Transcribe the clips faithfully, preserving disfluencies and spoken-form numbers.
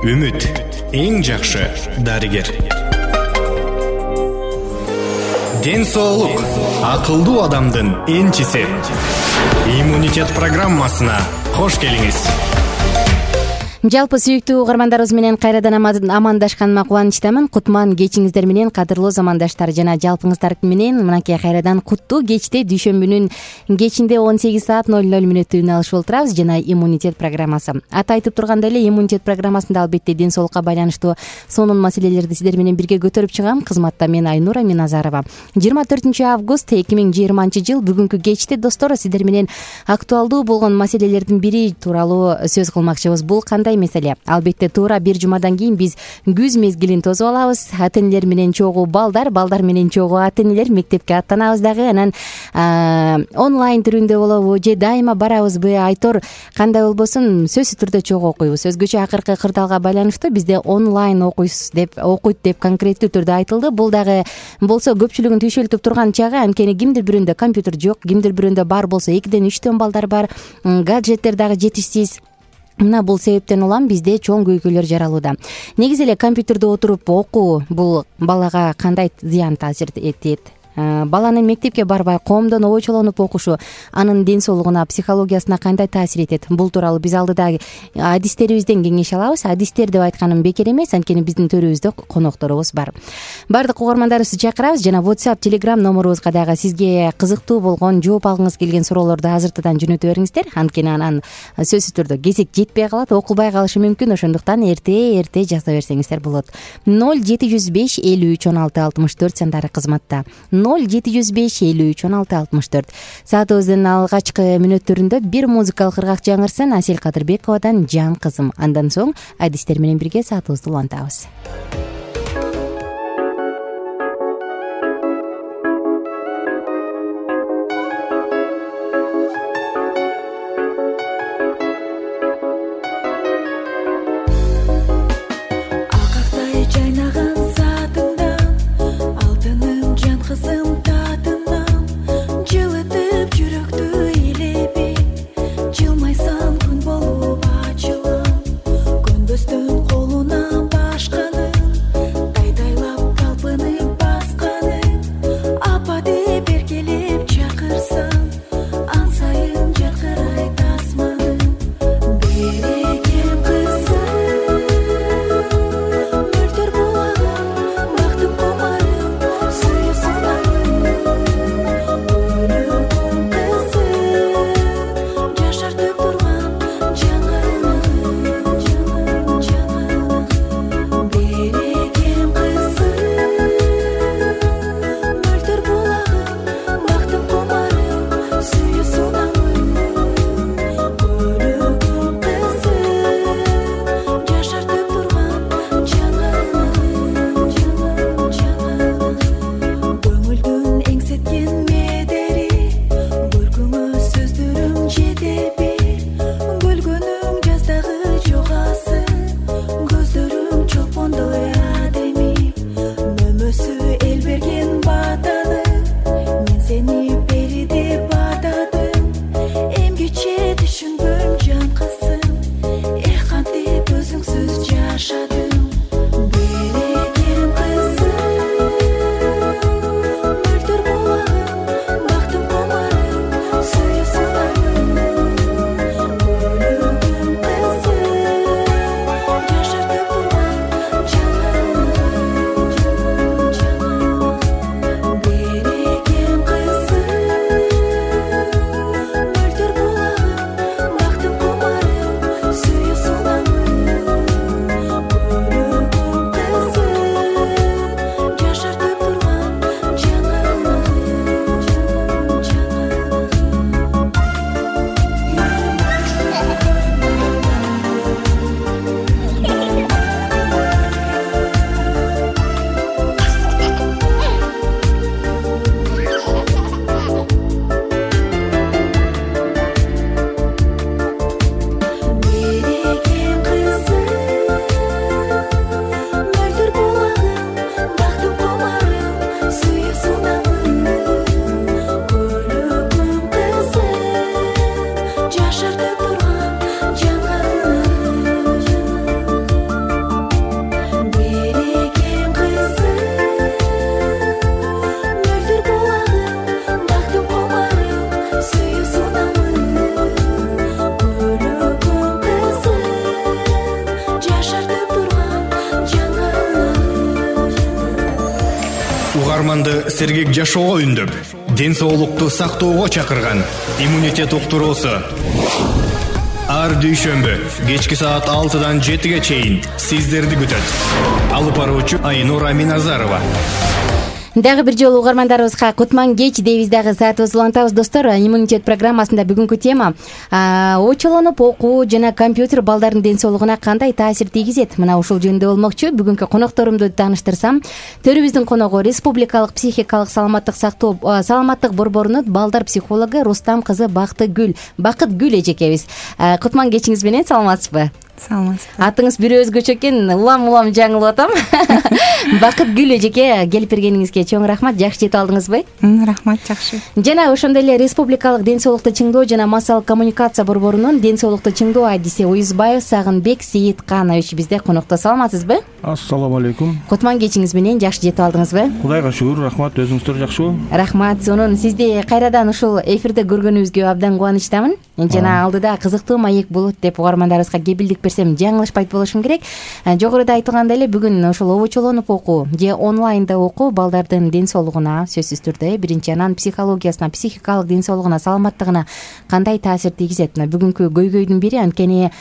Үмүт эң жакшы дарыгер. Ден соолук акылдуу адамдын энчиси. Иммунитет программасына кош келиңиз. Жалпы сүйүктүү угармандарыбыз менен кайрадан амандашканыма кубанычтамын. Кутман кечиңиздер менен, кадырлуу замандаштар жана жалпыңыздар менен мынакей кайрадан куттуу кечте дүйшөмбүнүн кечинде он сегиз саат ноль ноль мүнөттө үн алышып отурабыз. Жана иммунитет программасы. Аты айтып тургандай эле, иммунитет программасында албетте ден соолукка байланыштуу сонун маселелерди сиздер менен бирге көтөрүп чыгам. Кызматта мен Айнура Миназарова. жыйырма төртүнчү август эки миң жыйырманчы жыл бүгүнкү кечте достор сиздер менен актуалдуу болгон маселелердин бири тууралуу сөз кылмакчыбыз. Бул кандай меселе? Албетте туура бир жумадан кийин биз күз мезгилин тосуп алабыз. Ата энелер менен чогуу балдар, балдар менен чогуу ата энелер мектепке аттанабыз дагы. Анан онлайн түрүндө болобу же дайыма барабызбы? Айтор кандай болбосун сөзсүз түрдө чогуу окуйбуз. Өзгөчө акыркы кырдаалга байланыштуу бизде онлайн окуйсуз деп окуйт деп конкреттүү түрдө айтылды. Бул дагы болсо көпчүлүгүн түйшөлтүп турган чагы, анткени кимдир бирөөндө компьютер жок, кимдир бирөөндө бар болсо экиден үчтөн балдар бар, гаджеттер дагы жетишсиз. Мына бул себептен улам бизде чоң көйгөйлөр жаралууда. Негизи эле компьютерде отуруп окуу бул балага кандай зыян таасир этет? Баланын мектепке барбай коомдон ойчолонуп окушу анын ден соолугуна, психологиясына кандай таасир этет? Бул тууралуу биз алдыда адистерибизден кеңеш алабыз. Адистер деп айтканым бекер эмес, анткени биздин төрүбүздө конокторубуз бар. Бардык угармандарыбызды чакырабыз жана WhatsApp, Telegram номерубузга дагы сизге кызыктуу болгон, жооп алгыңыз келген суроолорду азыртадан жөнөтө бериңиздер. Анткени анан сөзсүз түрдө кезек жетпей калат, окулбай калышы мүмкүн. Ошондуктан эрте эрте жаза берсеңиздер болот. ноль жети жүз беш элүү үч он алты алтымыш төрт сандары кызматта. ноль жети жүз беш элүү үч он алты алтымыш төрт. Саатыбыздын алгачкы мүнөттөрүндө бир музыкалык ыргак жаңырсын. Асель Кадырбековадан Жан кызым. Андан соң адистер менен бирге саатыбызды улантабыз. Көнбөстөн колунан башканы угарманды сергек жашоого үндөп, ден соолукту сактоого чакырган иммунитет уктуруусу. Ар дүйшөмбү кечки саат алтыдан жетиге чейин сиздерди күтөт. Алып баруучу Айнура Миназарова. Дагы бир жолу угармандарыбызга кутман кеч дейбиз, дагы саатыбызды улантабыз достор. Иммунитет программасында бүгүнкү тема очолонуп окуу жана компьютер балдардын ден соолугуна кандай таасир тийгизет? Мына ушул жөнүндө болмокчу. Бүгүнкү конокторумду тааныштырсам, төрүбүздүн коногу Республикалык психикалык саламаттык сактоо саламаттык борборунун балдар психологу Рустам кызы Бактыгүл Бакытгүл эжекебиз. Кутман кечиңиз менен саламатсызбы? Саламатсызбы. Атыңыз бир өзгөчө экен, улам улам жаңылып атам. Бакытгүл эжеке, келип бергениңизге чоң рахмат. Жакшы жетип алдыңызбы? Рахмат, жакшы. Жана ошондой эле Республикалык ден соолукту чыңдоо жана массалык коммуникация борборунун ден соолукту чыңдоо адиси Уюзбаев Сагынбек Сейитканович бизде конокто. Саламатсызбы? Ассаламу алейкум. Кутман кечиңиз менен жакшы жетип алдыңызбы? Кудайга шүгүр, рахмат. Өзүңүздөр жакшыбы? Рахмат. Сонун сизди кайрадан ушул эфирде көргөнүбүзгө абдан кубанычтамын. Жана алдыда кызыктуу маек болот деп угармандарыбызга кепилдик берсем жаңылышпайт болушум керек. Жогоруда айтылгандай эле бүгүн ошол обочолонуп окуу же онлайнда окуу балдардын ден соолугуна сөзсүз түрдө биринчи, анан психологиясына, психикалык ден соолугуна, саламаттыгына кандай таасир тийгизет? Мына бүгүнкү көйгөйдүн бири анткени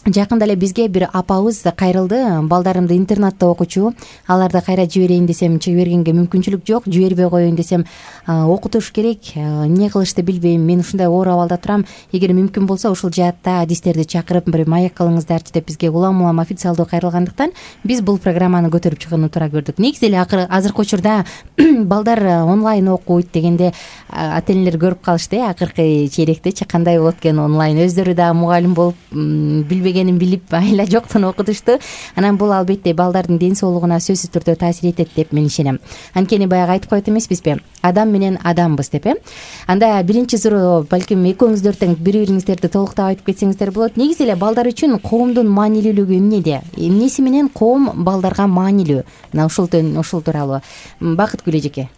жакында эле бизге бир апабыз кайрылды. Балдарымды интернатта окучу, аларды кайра жиберейин десем жибергенге мүмкүнчүлүк жок, жибербей коеюн десем окутуш керек, эмне кылышты билбейм, мен ушундай оор абалда турам, эгер мүмкүн болсо ушул жаатта адистерди чакырып бир маек кылыңыздарчы деп бизге улам улам официалдуу кайрылгандыктан биз бул программаны көтөрүп чыгууну туура көрдүк. Негизи эле азыркы учурда балдар онлайн окуйт дегенде ата энелер көрүп калышты, акыркы чейректечи кандай болот экен онлайн, өздөрү да мугалим болуп билбегенин билип айла жоктон окутушту. Анан бул албетте балдардын ден соолугуна сөзсүз түрдө таасир этет деп мен ишенем. Анткени баягы айтып койт эмеспизби, адам менен адамбыз деп э. Анда биринчи суроо, балким экөөңүздөр тең бири-бириңиздерди толуктап айтып кетсеңиздер болот. Негизи эле балдар үчүн коомдун маанилүүлүгү эмнеде? Эмнеси менен коом балдарга маанилүү? Мына ушул ушул тууралуу Бакытгүл эжеке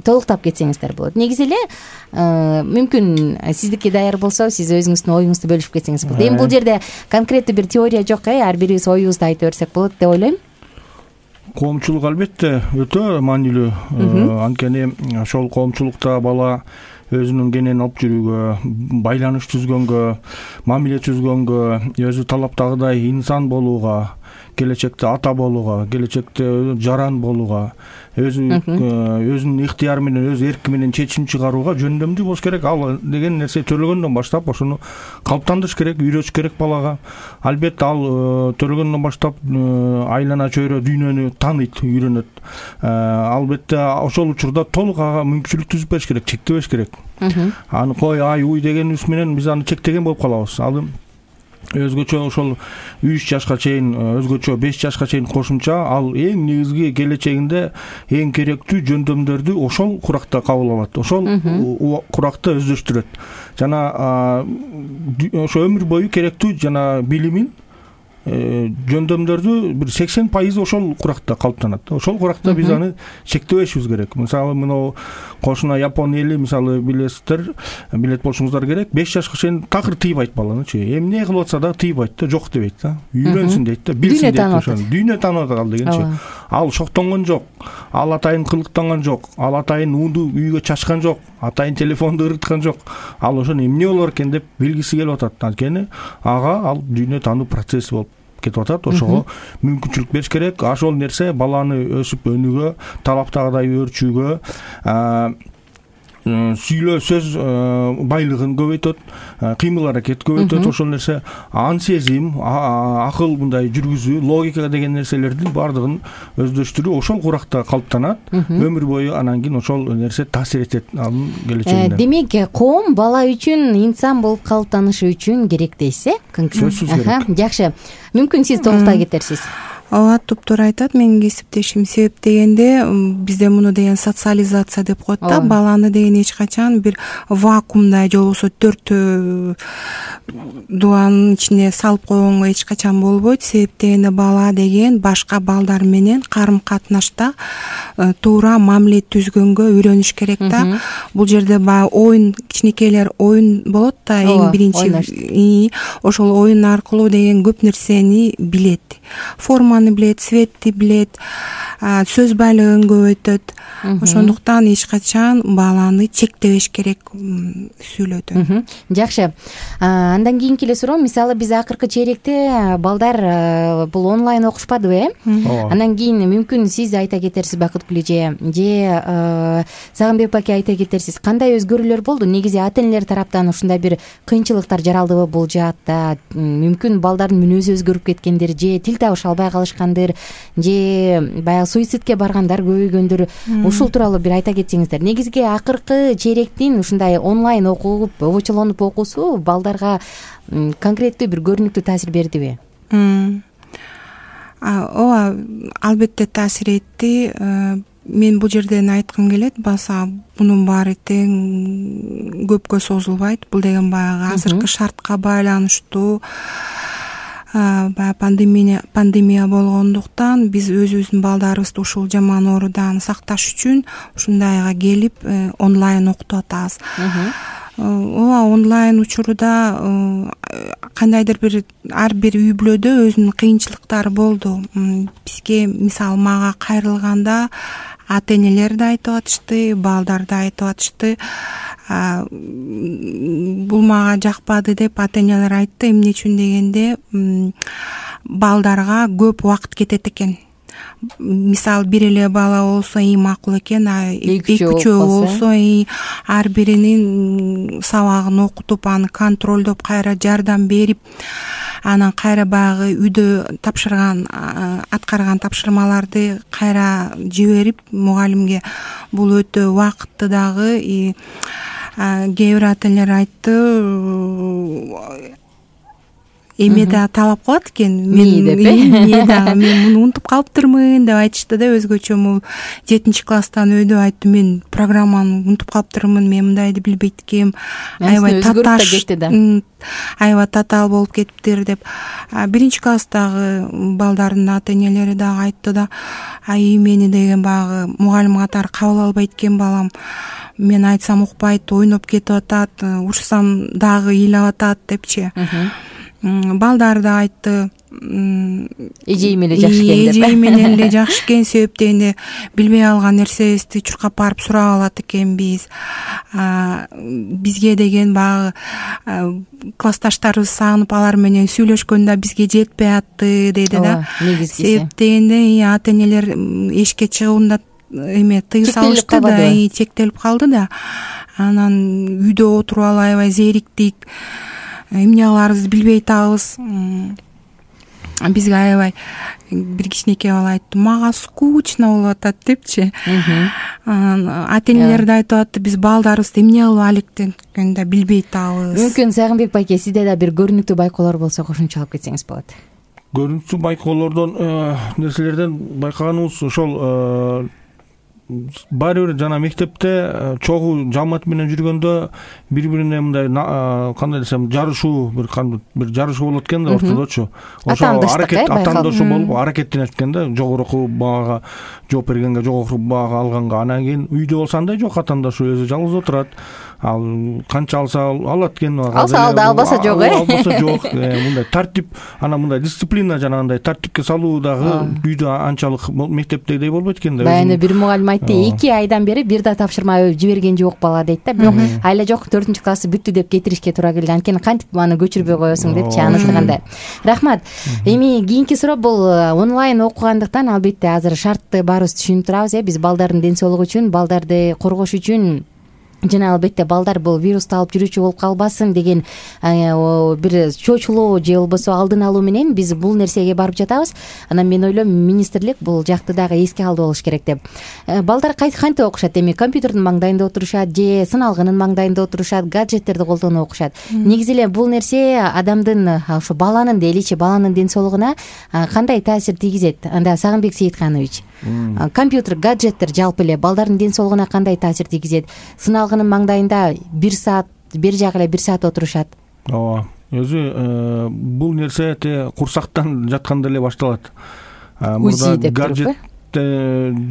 толуктап кетсеңиздер болот. Негизи эле мүмкүн сиздики даяр болсо, сиз өзүңүздүн оюңузду бөлүшүп кетсеңиз болот. Эми бул жерде конкреттүү бир теория жок, э, ар бирибиз оюбузду айтып берсек болот деп ойлойм. Коомчулук албетте өтө маанилүү. Анткени ошол коомчулукта бала өзүнүн кенен алып жүрүүгө, байланыш түзгөнгө, мамиле түзгөнгө, өзү талаптагыдай инсан болууга, келечекте ата болууга, келечекте жаран болууга, өзү өзүнүн ыктыяры менен, өз эрки менен чечим чыгарууга жөндөмдүү болуш керек. Ал деген нерсе төрөлгөндөн баштап ошону калыптандырыш керек, үйрөтүш керек балага. Албетте ал төрөлгөндөн баштап айлана чөйрө дүйнөнү тааныйт, үйрөнөт. Албетте ошол учурда толук ага мүмкүнчүлүк түзүп бериш керек, чектебеш керек. Аны кой, ай, уй дегенибиз менен биз аны чектеген болуп калабыз. Ал өзгөчө ошол үч жашка чейин, өзгөчө беш жашка чейин кошумча, ал эң негизги келечегинде эң керектүү жөндөмдөрдү ошол куракта кабыл алат, ошол куракта өздөштүрөт. Жана ошо өмүр бою керектүү жана билимин, жөндөмдөрдү бир сексен пайызы ошол куракта калыптанат. Ошол куракта биз аны чектебешибиз керек. Мисалы, мына кошуна Япон эли, мисалы, билесиздер, билет болушуңуздар керек. беш жашка чейин такыр тийбайт баланычы. Эмне кылып атса да тийбайт да, жок дебейт да. Үйрөнсүн дейт да, билсин дейт ошону. Дүйнө таанып атат ал дегенчи. Ал шоктонгон жок. Ал атайын кылыктанган жок. Ал атайын уунду үйгө чачкан жок. Атайын телефонду ырыткан жок. Ал ошону эмне болор экен деп билгиси келип атат. Анткени ага ал дүйнө таануу процесси болуп кетип атат. Ошого мүмкүнчүлүк бериш керек. Ошол нерсе баланы өсүп өнүүгө, талаптагыдай өөрчүүгө, сүйлөө сөз байлыгын көбөйтөт, кыймыл аракет көбөйтөт. Ошол нерсе ан сезим, акыл, мындай жүргүзүү, логика деген нерселердин баардыгын өздөштүрүү ошол куракта калыптанат. Өмүр бою анан кийин ошол нерсе таасир этет анын келечегине. Демек, коом бала үчүн, инсан болуп калыптанышы үчүн керек дейсиз, э? Сөзсүз керек. Жакшы. Мүмкүн сиз толуктай кетерсиз. Ооба, туптуура айтат менин кесиптешим. Себеп дегенде бизде муну деген социализация деп коет да. Баланы деген эч качан бир вакуумда же болбосо төрт дубанын ичине салып койгонго эч качан болбойт. Себеп дегенде бала деген башка балдар менен карым катнашта туура мамиле түзгөнгө үйрөнүш керек да. Бул жерде баягы оюн, кичинекейлер оюн болот да, эң биринчи. Ошол оюн аркылуу деген көп нерсени билет. Форма форманы билет, цветти билет, сөз байлыгын көбөйтөт. Ошондуктан эч качан баланы чектебеш керек сүйлөдө. Жакшы. Андан кийинки эле суроо, мисалы биз акыркы чейректе балдар бул онлайн окушпадыбы, э? Андан кийин мүмкүн сиз айта кетерсиз, Бакыткүл эже же Сагынбек баке айта кетерсиз, кандай өзгөрүүлөр болду? Негизи ата энелер тараптан ушундай бир кыйынчылыктар жаралдыбы бул жаатта? Мүмкүн балдардын мүнөзү өзгөрүп кеткендир, же тил табыша албай калышкандыр, же баягы суицидке баргандар көбөйгөндүр. Ушул тууралуу бир айта кетсеңиздер. Негизги акыркы чейректин ушундай онлайн окуп, обочолонуп окуусу балдарга конкреттүү бир көрүнүктүү таасир бердиби? Ооба, албетте таасир этти. Мен бул жерден айткым келет, баса бунун баары тең көпкө созулбайт. Бул деген баягы азыркы шартка байланыштуу баягы пандемия пандемия болгондуктан биз өзүбүздүн балдарыбызды ушул жаман оорудан сакташ үчүн ушундайга келип онлайн окутуп атабыз. Ооба, онлайн учурда кандайдыр бир ар бир үй бүлөдө өзүнүн кыйынчылыктары болду. Бизге мисалы мага кайрылганда ата энелер да айтып атышты, балдар да айтып атышты. Бул мага жакпады деп ата энелер айтты. Эмне үчүн дегенде, балдарга көп убакыт кетет экен. Мисалы бир эле бала болсо эң макул экен, а эки үчөө болсо ар биринин сабагын окутуп, аны контролдоп, кайра жардам берип, анан кайра баягы үйдө тапшырган аткарган тапшырмаларды кайра жиберип мугалимге, бул өтө убакытты дагы. Кээ бир ата энелер айтты, эме да талап кылат экен, мен дагы мен муну унутуп калыптырмын деп айтышты да. Өзгөчө жетинчи класстан өйдө айтты, мен программаны унутуп калыптырмын, мен мындайды билбейт экенмин, аябай таташ, аябай татаал болуп кетиптир деп. Биринчи класстагы балдардын ата энелери дагы айтты да, ай мени деген баягы мугалим катары кабыл албайт экен балам, мен айтсам укпайт, ойноп кетип атат, урушсам дагы ыйлап атат депчи. Балдар да айтты, эжеи менен эле жакшы экен деп. Эжеи менен эле жакшы экен, себеп дегенде билбей калган нерсебизди чуркап барып сурап алат экенбиз. Бизге деген баягы классташтарыбыз сагынып алар менен сүйлөшкөндө бизге жетпей атты деди да. Себеп дегенде ата энелер эшикке чыгуунда эме тыюу салышты да, чектелип калды да. Анан үйдө отуруп алып аябай зериктик, эмне кыларыбызды билбей атабыз. Бизге аябай бир кичинекей бала айтты, мага скучно болуп атат депчи. Ата энелер да айтып атты, биз балдарыбызды эмне кылып алектенгенде билбей атабыз. Мүмкүн Сагынбек байке, сизде да бир көрүнүктүү байкоолор болсо кошумчалап кетсеңиз болот. Көрүнүктүү байкоолордон нерселерден байкаганыбыз ошол, баары бир жана мектепте чогуу жамаат менен жүргөндө бири-бирине мындай кандай десем жарышуу, бир бир жарышуу болот экен да ортодочу. Ошо аракет атаандошу болуп аракеттенет экен да, жогорку баага жооп бергенге, жогорку баага алганга. Анан кийин үйдө болсо андай жок, атаандашы өзү жалгыз отурат. Ал канча алса алат экен, алса алды, албаса жок, э албаса жок. Мындай тартип, анан мындай дисциплина жанагындай тартипке салуу дагы үйдө анчалык мектептегидей болбойт экен да. Баягы бир мугалим айтты, эки айдан бери бир да тапшырма жиберген жок бала дейт да. Бирок айла жок, төртүнчү классы бүттү деп кетиришке туура келди. Анткени кантип аны көчүрбөй коесуң депчи, анысы кандай. Рахмат. Эми кийинки суроо бул онлайн окугандыктан албетте азыр шартты баарыбыз түшүнүп турабыз, э биз балдардын ден соолугу үчүн, балдарды коргош үчүн жана албетте балдар бул вирусту алып жүрүүчү болуп калбасын деген бир чочулоо же болбосо алдын алуу менен биз бул нерсеге барып жатабыз. Анан мен ойлойм, министрлик бул жакты дагы эске алып болуш керек деп. Балдар кантип окушат? Эми компьютердин маңдайында отурушат же сыналгынын маңдайында отурушат, гаджеттерди колдонуп окушат. Негизи эле бул нерсе адамдын, ошо баланын дейличи, баланын ден соолугуна кандай таасир тийгизет? Анда Сагынбек Сейитканович, компьютер, гаджеттер жалпы эле балдардын ден соолугуна кандай таасир тийгизет? Сыналгынын маңдайында бир саат, бир жагы эле бир саат отурушат. Ооба, өзү бул нерсе курсактан жатканда эле башталат. Мурда гаджет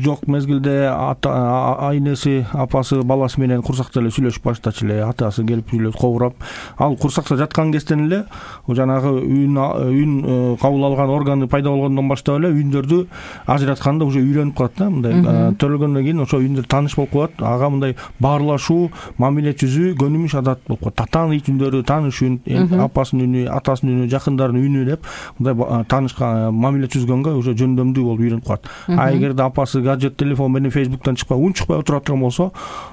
жок мезгилде айнеси апасы баласы менен курсакта эле сүйлөшүп баштачу эле, атасы келип сүйлөп кобурап, ал курсакта жаткан кезден эле жанагы үн үн кабыл алган органы пайда болгондон баштап эле үндөрдү ажыратканды уже үйрөнүп калат да. Мындай төрөлгөндөн кийин ошо үндөр тааныш болуп калат, ага мындай баарлашуу, мамиле түзүү көнүмүш адат болуп калат. Татаанын үндөрү, тааныш үн, апасынын үнү, атасынын үнү, жакындарынын үнү деп мындай таанышка мамиле түзгөнгө уже жөндөмдүү болуп үйрөнүп калат. А эгерде апасы гаджет, телефон менен фейсбуктан чыкпай, үн чыкпай отура турган болсо,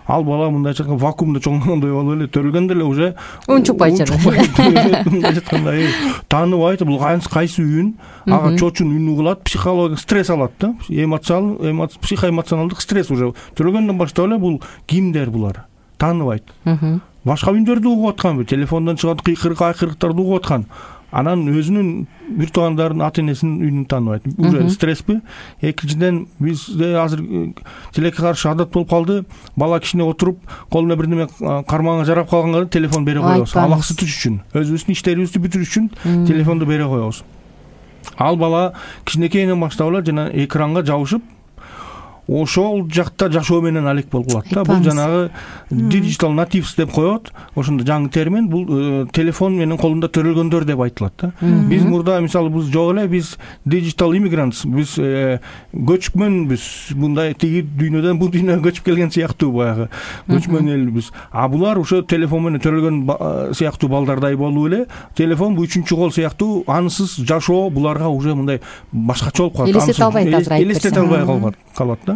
ал бала мындайча айтканда вакуумда чоңойгондой болуп эле төрөлгөндө эле уже үн чыкпай жаткандай тааныбайт, бул кайсы үн, ага чочун үнү кылат, психологик стресс алат да, эмоционал, психоэмоционалдык стресс уже төрөлгөндөн баштап эле бул кимдер булар тааныбайт. Башка үндөрдү угуп аткан, телефондон чыгат кыйкырык айкырыктарды угуп аткан. Анан өзүнүн бир туугандарынын ата энесинин үнүн тааныбайт. Уже стрессби? Экинчиден бизде азыр тилекке каршы адат болуп калды. Бала кичине отуруп, колуна бир неме кармагына жарап калганга телефон бере коебуз. Абаксы түш үчүн, өзүбүздүн иштерибизди бүтүрүш үчүн телефонду бере коебуз. Ал бала кичинекейинен баштап эле жана экранга жабышып, ошол жакта жашоо менен алек болуп калат да. Бул жанагы digital natives деп коет. Ошондо жаңы термин, бул телефон менен колунда төрөлгөндөр деп айтылат да. Биз мурда мисалы биз жок эле, биз digital immigrants, биз көчмөнбүз. Мындай тиги дүйнөдөн бул дүйнөгө көчүп келген сыяктуу баягы көчмөн элбиз. А булар ошо телефон менен төрөлгөн сыяктуу балдардай болуп эле, телефон бул үчүнчү кол сыяктуу ансыз жашоо буларга уже мындай башкача болуп калат. Элестете албайт азыр айтып элестете албай калат да.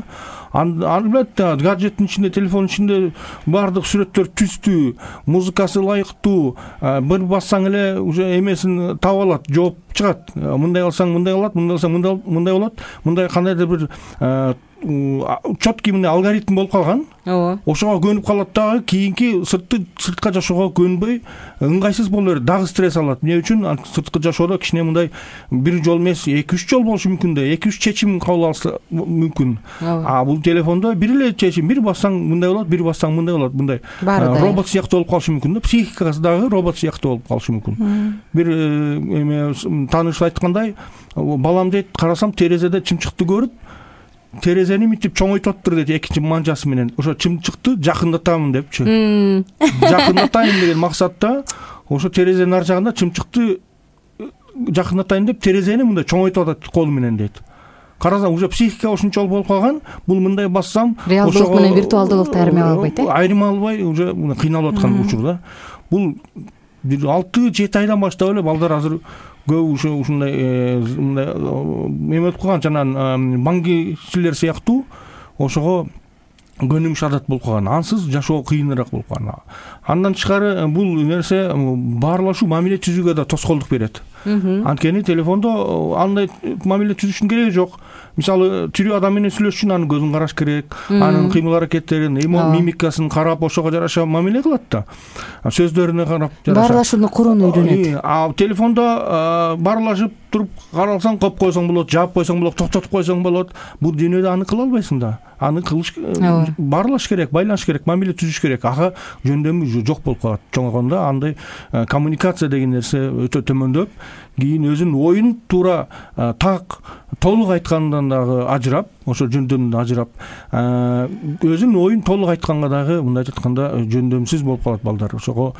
Албетте гаджеттин ичинде, телефондун ичинде баардык сүрөттөр түздүү, музыкасы ылайыктуу, бир бассаң эле уже эмесин таап алат, жооп чыгат. Мындай кылсаң мындай кылат, мындай кылсаң мындай болот, мындай кандайдыр бир четкий мындай алгоритм болуп калган. Ооба. Ошого көнүп калат дагы, кийинки сыртты сыртка жашоого көнбөй ыңгайсыз боло берет, дагы стресс алат. Эмне үчүн? Сырткы жашоодо кичине мындай бир жол эмес, эки үч жол болушу мүмкүн да, эки үч чечим кабыл алса мүмкүн. А бул телефондо бир эле чечим, бир бассаң мындай болот, бир бассаң мындай болот, мындай робот сыяктуу болуп калышы мүмкүн да, психикасы дагы робот сыяктуу болуп калышы мүмкүн. Бир эме тааныш айткандай, балам дейт, карасам терезеде чымчыкты көрүп, терезени мынтип чоңойтуптур дейт экинчи манжасы менен. Ошо чымчыкты жакындатамын депчи. Жакындатайын деген максатта ошо терезенин ар жагында чымчыкты жакындатайын деп терезени мындай чоңойтуп атат колу менен дейт. Карасаң уже психика ошончолук болуп калган, бул мындай бассам реалдуулук менен виртуалдуулукту айырмай албайт э? Айырмай албай уже кыйналып аткан учурда. Бул бир алты жети айдан баштап эле балдар азыр көп ушо ушундай мындай эме болуп калган, жана баңгичилер сыяктуу ошого көнүмүш адат болуп калган. Ансыз жашоо кыйыныраак болуп калган. Андан тышкары бул нерсе баарлашуу, мамиле түзүүгө да тоскоолдук берет. Анткени телефондо андай мамиле түзүшүнүн кереги жок. Мисалы тирүү адам менен сүйлөшүш үчүн анын көзүн караш керек, анын кыймыл аракеттерин, мимикасын карап ошого жараша мамиле кылат да. Сөздөрүнө карап жараша. Баарлашууну курууну үйрөнөт. А телефондо баарлашып туруп карасаң, коюп койсоң болот, жаап койсоң болот, токтотуп койсоң болот. Бул дүйнөдө аны кыла албайсың да. Аны кылыш, баарлаш керек, байланыш керек, мамиле түзүш керек. Ага жөндөмү жок болуп калат. Чоңойгондо андай коммуникация деген нерсе өтө төмөндөп, кийин өзүнүн оюн туура так, толук айткандан дагы ажырап, ошо жөндөмдөн ажырап, өзүнүн оюн толук айтканга дагы мындай айтканда жөндөмсүз болуп калат балдар. Ошого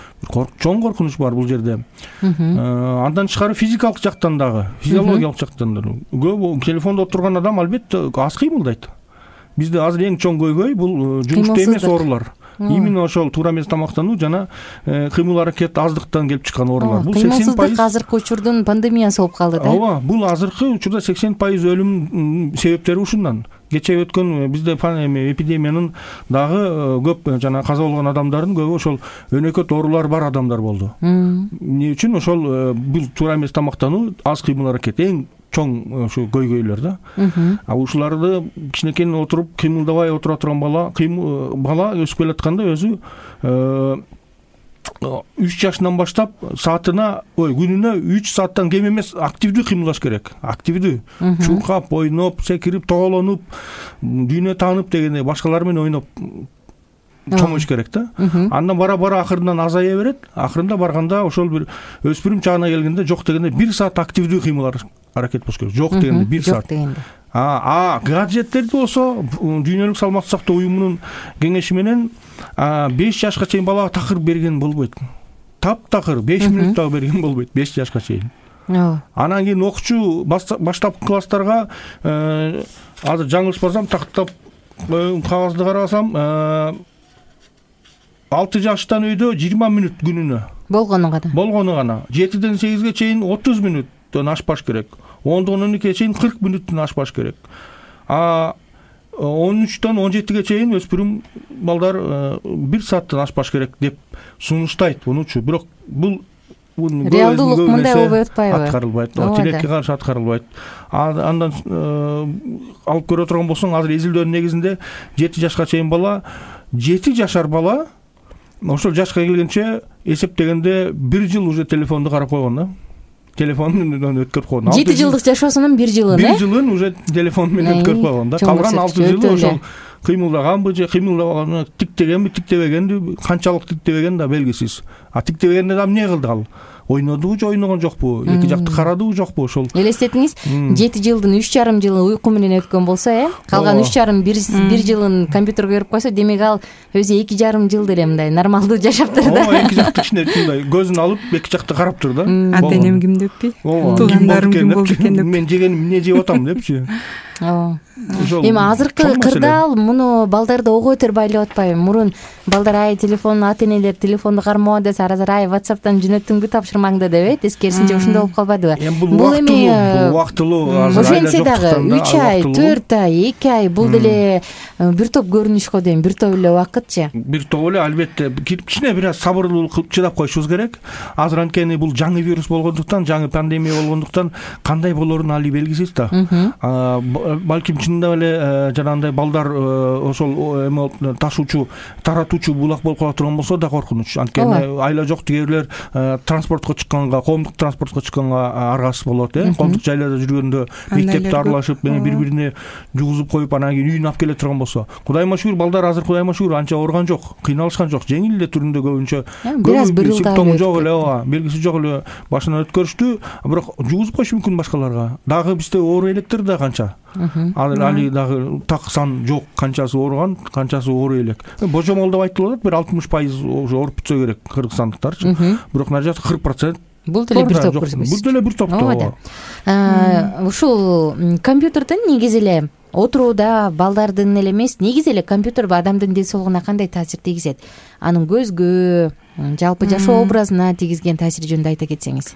чоң коркунуч бар бул жерде. Андан тышкары физикалык жактан дагы, физиологиялык жактан дагы көп телефондо отурган адам албетте аз кыймылдайт. Бизде азыр эң чоң көйгөй бул жумушта эмес оорулар. Именно ошол туура эмес тамактануу жана кыймыл аракет аздыктан келип чыккан оорулар. Бул сексен пайыз азыркы учурдун пандемиясы болуп калды да. Ооба, бул азыркы учурда сексен пайыз өлүм себептери ушундан. Кече өткөн бизде эпидемиянын дагы көп жана каза болгон адамдардын көбү ошол өнөкөт оорулар бар адамдар болду. Эмне үчүн? Ошол бул туура эмес тамактануу, аз кыймыл аракет эң чоң ушу көйгөйлөр да. А ушуларды кичинекейинен отуруп кыймылдабай отура турган бала, бала өсүп келатканда өзү үч жашынан баштап саатына, ой, күнүнө үч сааттан кем эмес активдүү кыймылдаш керек. Активдүү. Чуркап, ойноп, секирип, тоголонуп, дүйнө таанып дегендей башкалар менен ойноп чоңоюш керек да. Андан бара-бара акырынан азая берет. Акырында барганда ошол бир өспүрүм чагына келгенде жок дегенде бир саат активдүү кыймыл аракет болуш керек. Жок дегенде бир саат. Жок дегенде. А гаджеттерди болсо Дүйнөлүк саламаттык сактоо уюмунун кеңеши менен беш жашка чейин балага такыр берген болбойт. Таптакыр беш мүнөт дагы берген болбойт беш жашка чейин. Анан кийин окуучу баштапкы класстарга азыр жаңылышпасам тактап кагазды карасам алты жаштан өйдө жыйырма мүнөт күнүнө болгону гана. Болгону гана. жетиден сегизге чейин отуз мүнөттөн ашпаш керек. ондон он экиге чейин кырк мүнөттөн ашпаш керек. А он үчтөн он жетиге чейин өспүрүм балдар бир сааттан ашпаш керек деп сунуштайт мунучу. Бирок бул реалдуулук мындай болбой атпайбы? Аткарылбайт. Тилекке каршы аткарылбайт. Андан алып көрө турган болсоң, азыр изилдөөнүн негизинде жети жашка чейин бала, жети жашар бала ошол жашка келгенче эсептегенде бир жыл уже телефонду карап койгон да. Телефонун өткөрүп койгон. жети жылдык жашоосунун бир жылын, э? бир жылын уже телефон менен өткөрүп койгон да. Калган алты жылы ошол кыймылдаганбы же кыймылдабаганы, тиктегенби, тиктебегенби, канчалык тиктебеген да белгисиз. А тиктебегенде да эмне кылды ал? Ойнодубу же ойногон жокпу? Эки жакты карадыбы жокпу? Ошол элестетиңиз, жети жылдын үч жарым жылы уйку менен өткөн болсо, э? Калган үч жарым бир жылын компьютерге көрүп койсо, демек ал өзү эки жарым жыл деле мындай нормалдуу жашаптыр да. Ооба, эки жакты кичине мындай көзүн алып эки жакты карап тур да. Ата энем ким деппи? Туугандарым ким болду экен деп. Мен жегеним эмне жеп атам депчи. Ооба. Эми азыркы кырдаал муну балдарды ого бетер байлап атпайбы? Мурун балдар ай телефон, ата энелер телефонду кармоо десе, азыр ай WhatsApp'тан жөнөттүңбү тапшырмаңды деп, эскерисинче ошондой болуп калбадыбы? Бул эми убактылуу, азыр айла ошентсе дагы үч ай, төрт ай, эки ай бул деле бир топ көрүнүш го дейм, бир топ эле убакытчы. Бир топ эле, албетте кичине бир аз сабырлуулук кылып чыдап коюшубуз керек. Азыр анткени бул жаңы вирус болгондуктан, жаңы пандемия болгондуктан кандай болорун али белгисиз да. Балким чынында эле жанагындай балдар ошол эме ташуучу, таратуучу булак болуп кала турган болсо да коркунуч. Анткени айла жок тигерлер транспортко чыкканга, коомдук транспортко чыкканга аргасыз болот, э? Коомдук жайларда жүргөндө мектепти аралашып, бири-бирине жугузуп коюп, анан кийин үйүнө алып келе турган болсо. Кудайыма шүгүр, балдар азыр кудайыма шүгүр анча ооруган жок, кыйналышкан жок, жеңил эле түрүндө көбүнчө. Бир аз бир симптому жок эле, ооба, белгиси жок эле башынан өткөрүштү, бирок жугузуп коюшу мүмкүн башкаларга. Дагы бизде оору электер да канча. Ал али дагы так сан жок, канчасы ооруган, канчасы оору элек. Божомол деп айтылып атат, бир алтымыш пайыз уже ооруп бүтсө керек кыргызстандыктарчы. Бирок мына жакта кырк процент. Бул деле бир топ көрсөтөбүз. Бул деле бир топтоо. Ушул компьютерден негизи эле отурууда балдардын эле эмес, негизи эле компьютер адамдын ден соолугуна кандай таасир тийгизет? Анын көзгө, жалпы жашоо образына тийгизген таасири жөнүндө айта кетсеңиз.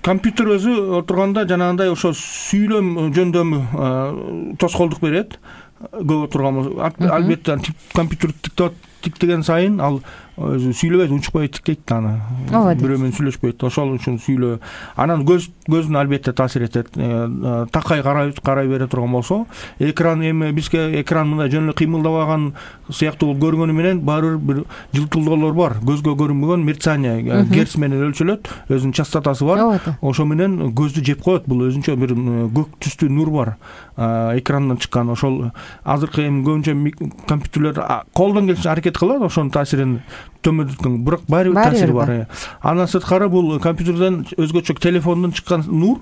Компьютер өзү отурганда жанагындай ошо сүйлөм жөндөмү тоскоолдук берет. Көп отурган албетте компьютер тиктеген сайын ал өзү сүйлөбөйт, унчукпай тиктейт аны. Бирөө менен сүйлөшпөйт. Ошол үчүн сүйлөө. Анан көз көздүн албетте таасир этет. Такай карай карай бере турган болсо, экран эми бизге экран мындай жөн эле кыймылдабаган сыяктуу көргөнү менен баары бир жылтылдоолор бар. Көзгө көрүнбөгөн мерцание, герц менен өлчөлөт, өзүнүн частотасы бар. Ошо менен көздү жеп коет. Бул өзүнчө бир көк түстүү нур бар. Экрандан чыккан. Ошол азыркы эми көбүнчө компьютерлер колдон келишинче аракет кылат, ошонун таасирин төмөндөткөн, бирок баары бир таасири бар. Андан сырткары бул компьютерден өзгөчө телефондон чыккан нур,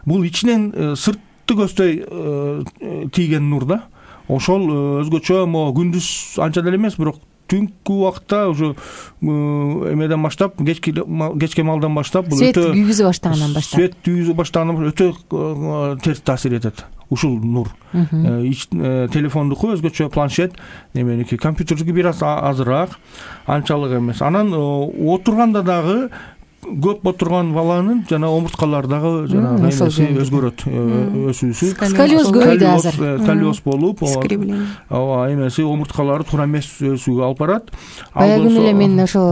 бул ичинен сыртты көздөй тийген нур да. Ошол өзгөчө могу күндүз анча деле эмес, бирок түнкү убакта уже эмеден баштап, кечки кечке малдан баштап бул өтө свет күйгүзө баштагандан баштап, свет күйгүзө баштагандан өтө терс таасир этет. Ушул нур. Телефондуку өзгөчө, планшет, эменики компьютердики бир аз азыраак, анчалык эмес. Анан отурганда дагы көп отурган баланын жана омурткалары дагы жана эмеси өзгөрөт, өсүүсү. Сколиоз көбөйдү азыр. Сколиоз болуп, ооба, эмеси омурткалары туура эмес өсүүгө алып барат. Баягы эле мен ошо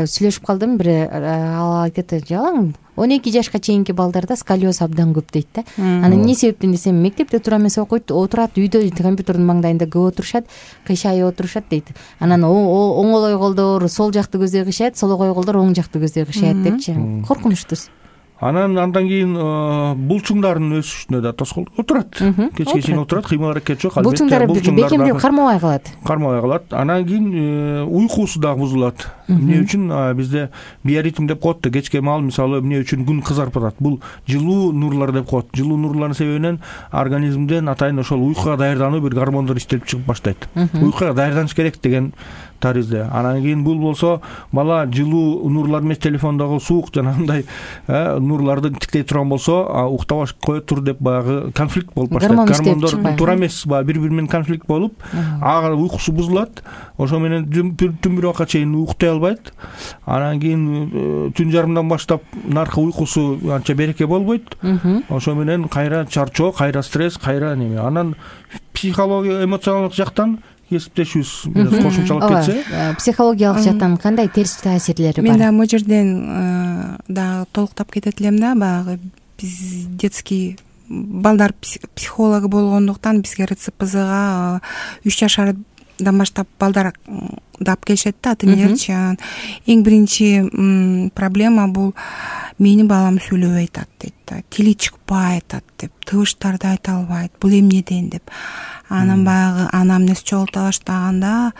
сүйлөшүп калдым, бир ал айтты, жалаң он эки жашка чейинки балдарда сколиоз абдан көп дейт да. Анан эмне себептен десем, мектепте туура эмес окуйт, отурат, үйдө компьютердин маңдайында көп отурушат, кыйшайып отурушат дейт. Анан оңолой колдор сол жакты көздөй кыйшайт, сологой колдор оң жакты көздөй кыйшайт депчи. Коркунучтуу. анан андан кийин булчуңдардын өсүшүнө да тоскоолдук отурат. Кечке чейин отурат, кыймыл аракет жок. Булчуңдар бекемдеп кармабай калат. Кармабай калат. Анан кийин уйкусу дагы бузулат. Эмне үчүн? Бизде биоритм деп коет да, кечке маал мисалы эмне үчүн күн кызарып атат? Бул жылуу нурлар деп коет. Жылуу нурлардын себебинен организмден атайын ошол уйкуга даярдануу бир гормондор иштелип чыгып баштайт. Уйкуга даярданыш керек деген таризде. Анан кийин бул болсо бала жылуу нурлар эмес, телефондогу суук жанагындай нурларды тиктей турган болсо, уктабай кое тур деп баягы конфликт болуп баштайт. Гормондор туура эмес, баягы бири-бири менен конфликт болуп, ага уйкусу бузулат. Ошо менен түн бир убакка чейин уктай албайт. Анан кийин түн жарымдан баштап наркы уйкусу анча береке болбойт. Ошо менен кайра чарчоо, кайра стресс, кайра неме. Анан психология, эмоционалдык жактан кесиптешүүбүз бир аз кошумчалап кетсе. Психологиялык жактан кандай терс таасирлери бар? Мен да могу жерден дагы толуктап кетет элем да, баягы биз детский балдар психологу болгондуктан бизге РЦПЗга үч жашардан баштап балдар дап келишет да, ата-энелерчи. Эң биринчи проблема бул менин балам сүйлөбөй атат дейт да, тили чыкпай атат деп, тыбыштарды айта албайт, бул эмнеден деп. Анан баягы анамнез чогулта баштаганда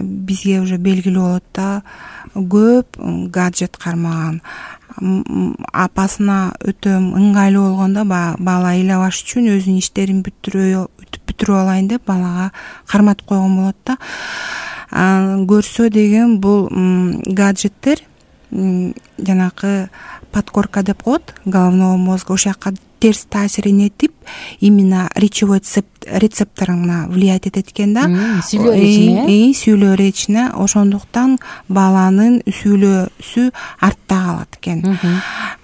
бизге уже белгилүү болот да, көп гаджет кармаган. Апасына өтө ыңгайлуу болгондо бала ыйлабаш үчүн өзүнүн иштерин бүтүрүп алайын деп балага карматып койгон болот да. Көрсө деген бул гаджеттер жанакы подкорка деп коет, головного мозга, ошол жака терс таасир этип, именно речевой рецепторуна влиять этет экен да. Сүйлөө речине. Сүйлөө речине. Ошондуктан баланын сүйлөөсү артта калат экен.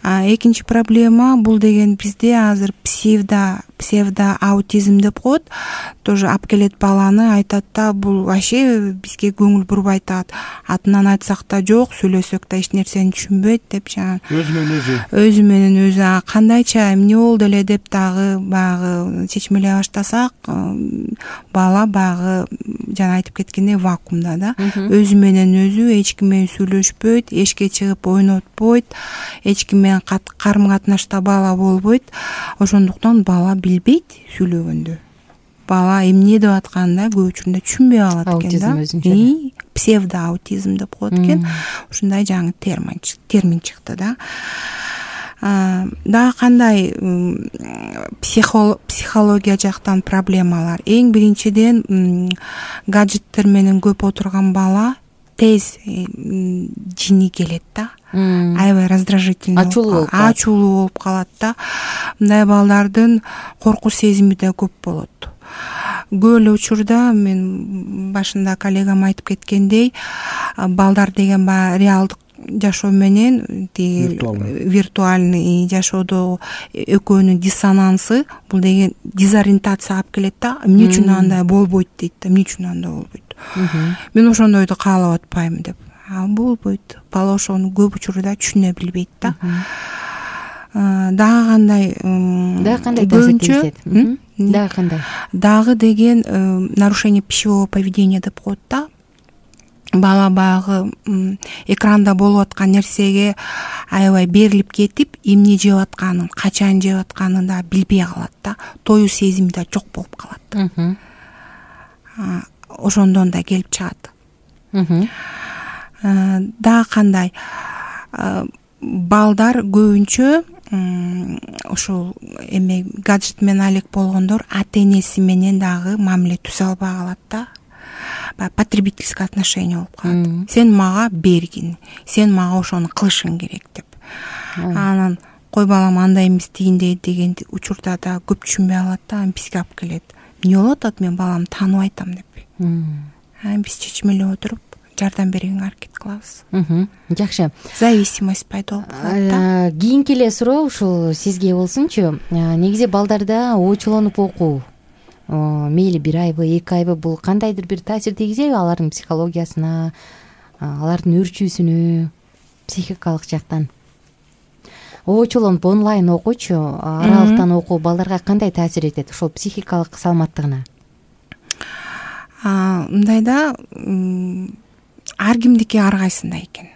Экинчи проблема бул деген бизде азыр псевдо псевдо аутизм деп коет. Тоже алып келет баланы, айтат да, бул вообще бизге көңүл бурбай атат. Атынан айтсак да жок, сүйлөсөк да эч нерсени түшүнбөйт деп жана өзү менен өзү. Өзү менен өзү кандайча эмне болду эле деп дагы баягы чечмелей баштасак, бала баягы жана айтып кеткендей вакуумда да. Өзү менен өзү эч ким менен сүйлөшпөйт, эшикке чыгып ойнотпойт, эч ким менен карым катнашта бала болбойт. Ошондуктан бала билбейт сүйлөгөндө. Бала эмне деп атканын да көп учурда түшүнбөй калат экен да. Псевдоаутизм деп коет экен. Ушундай жаңы термин чыкты да. Дагы кандай психология жактан проблемалар? Эң биринчиден гаджеттер менен көп отурган бала тез жини келет да. Аябай раздражительный, ачуулуу болуп калат да. Мындай балдардын коркуу сезими да көп болот. Көп эле учурда мен башында коллегам айтып кеткендей, балдар деген баягы реалдык жашоо менен виртуальный жашоодо экөөнүн диссонансы, бул деген дезориентация алып келет да. Эмне үчүн андай болбойт дейт да, эмне үчүн андай болбойт. Мен ошондойду каалап атпайм деп. А болбойт. Бала ошону көп учурда түшүнө билбейт да. Дагы кандай? Дагы кандай таасир? Дагы кандай? Дагы деген нарушение пищевого поведения деп коет да. Бала баягы экранда болуп аткан нерсеге аябай берилип кетип, эмне жеп атканын, качан жеп атканын да билбей калат да. Тоюу сезими да жок болуп калат. Ошондон да келип чыгат. Дагы кандай? Балдар көбүнчө ошол эме гаджет менен алек болгондор ата-энеси менен дагы мамиле түзө албай калат да. Потребительское отношение болуп калат. Сен мага бергин, сен мага ошону кылышың керек деп. Анан кой балам андай эмес тигиндей деген учурда да көп түшүнбөй алат да, бизге алып келет. Эмне болуп атат, мен баламды тааныбай атам деп. Биз чечмелеп отуруп жардам берүүгө аракет кылабыз. Жакшы. Зависимость пайда болуп калат да. Кийинки эле суроо ушул сизге болсунчу. Негизи балдарда оочулонуп окуу, мейли бир айбы, эки айбы, бул кандайдыр бир таасир тийгизеби алардын психологиясына, алардын өрчүүсүнө, психикалык жактан? Оочулонуп онлайн окуучу, аралыктан окуу балдарга кандай таасир этет ошол психикалык саламаттыгына? Мындай да, ар кимдики ар кайсындай экен.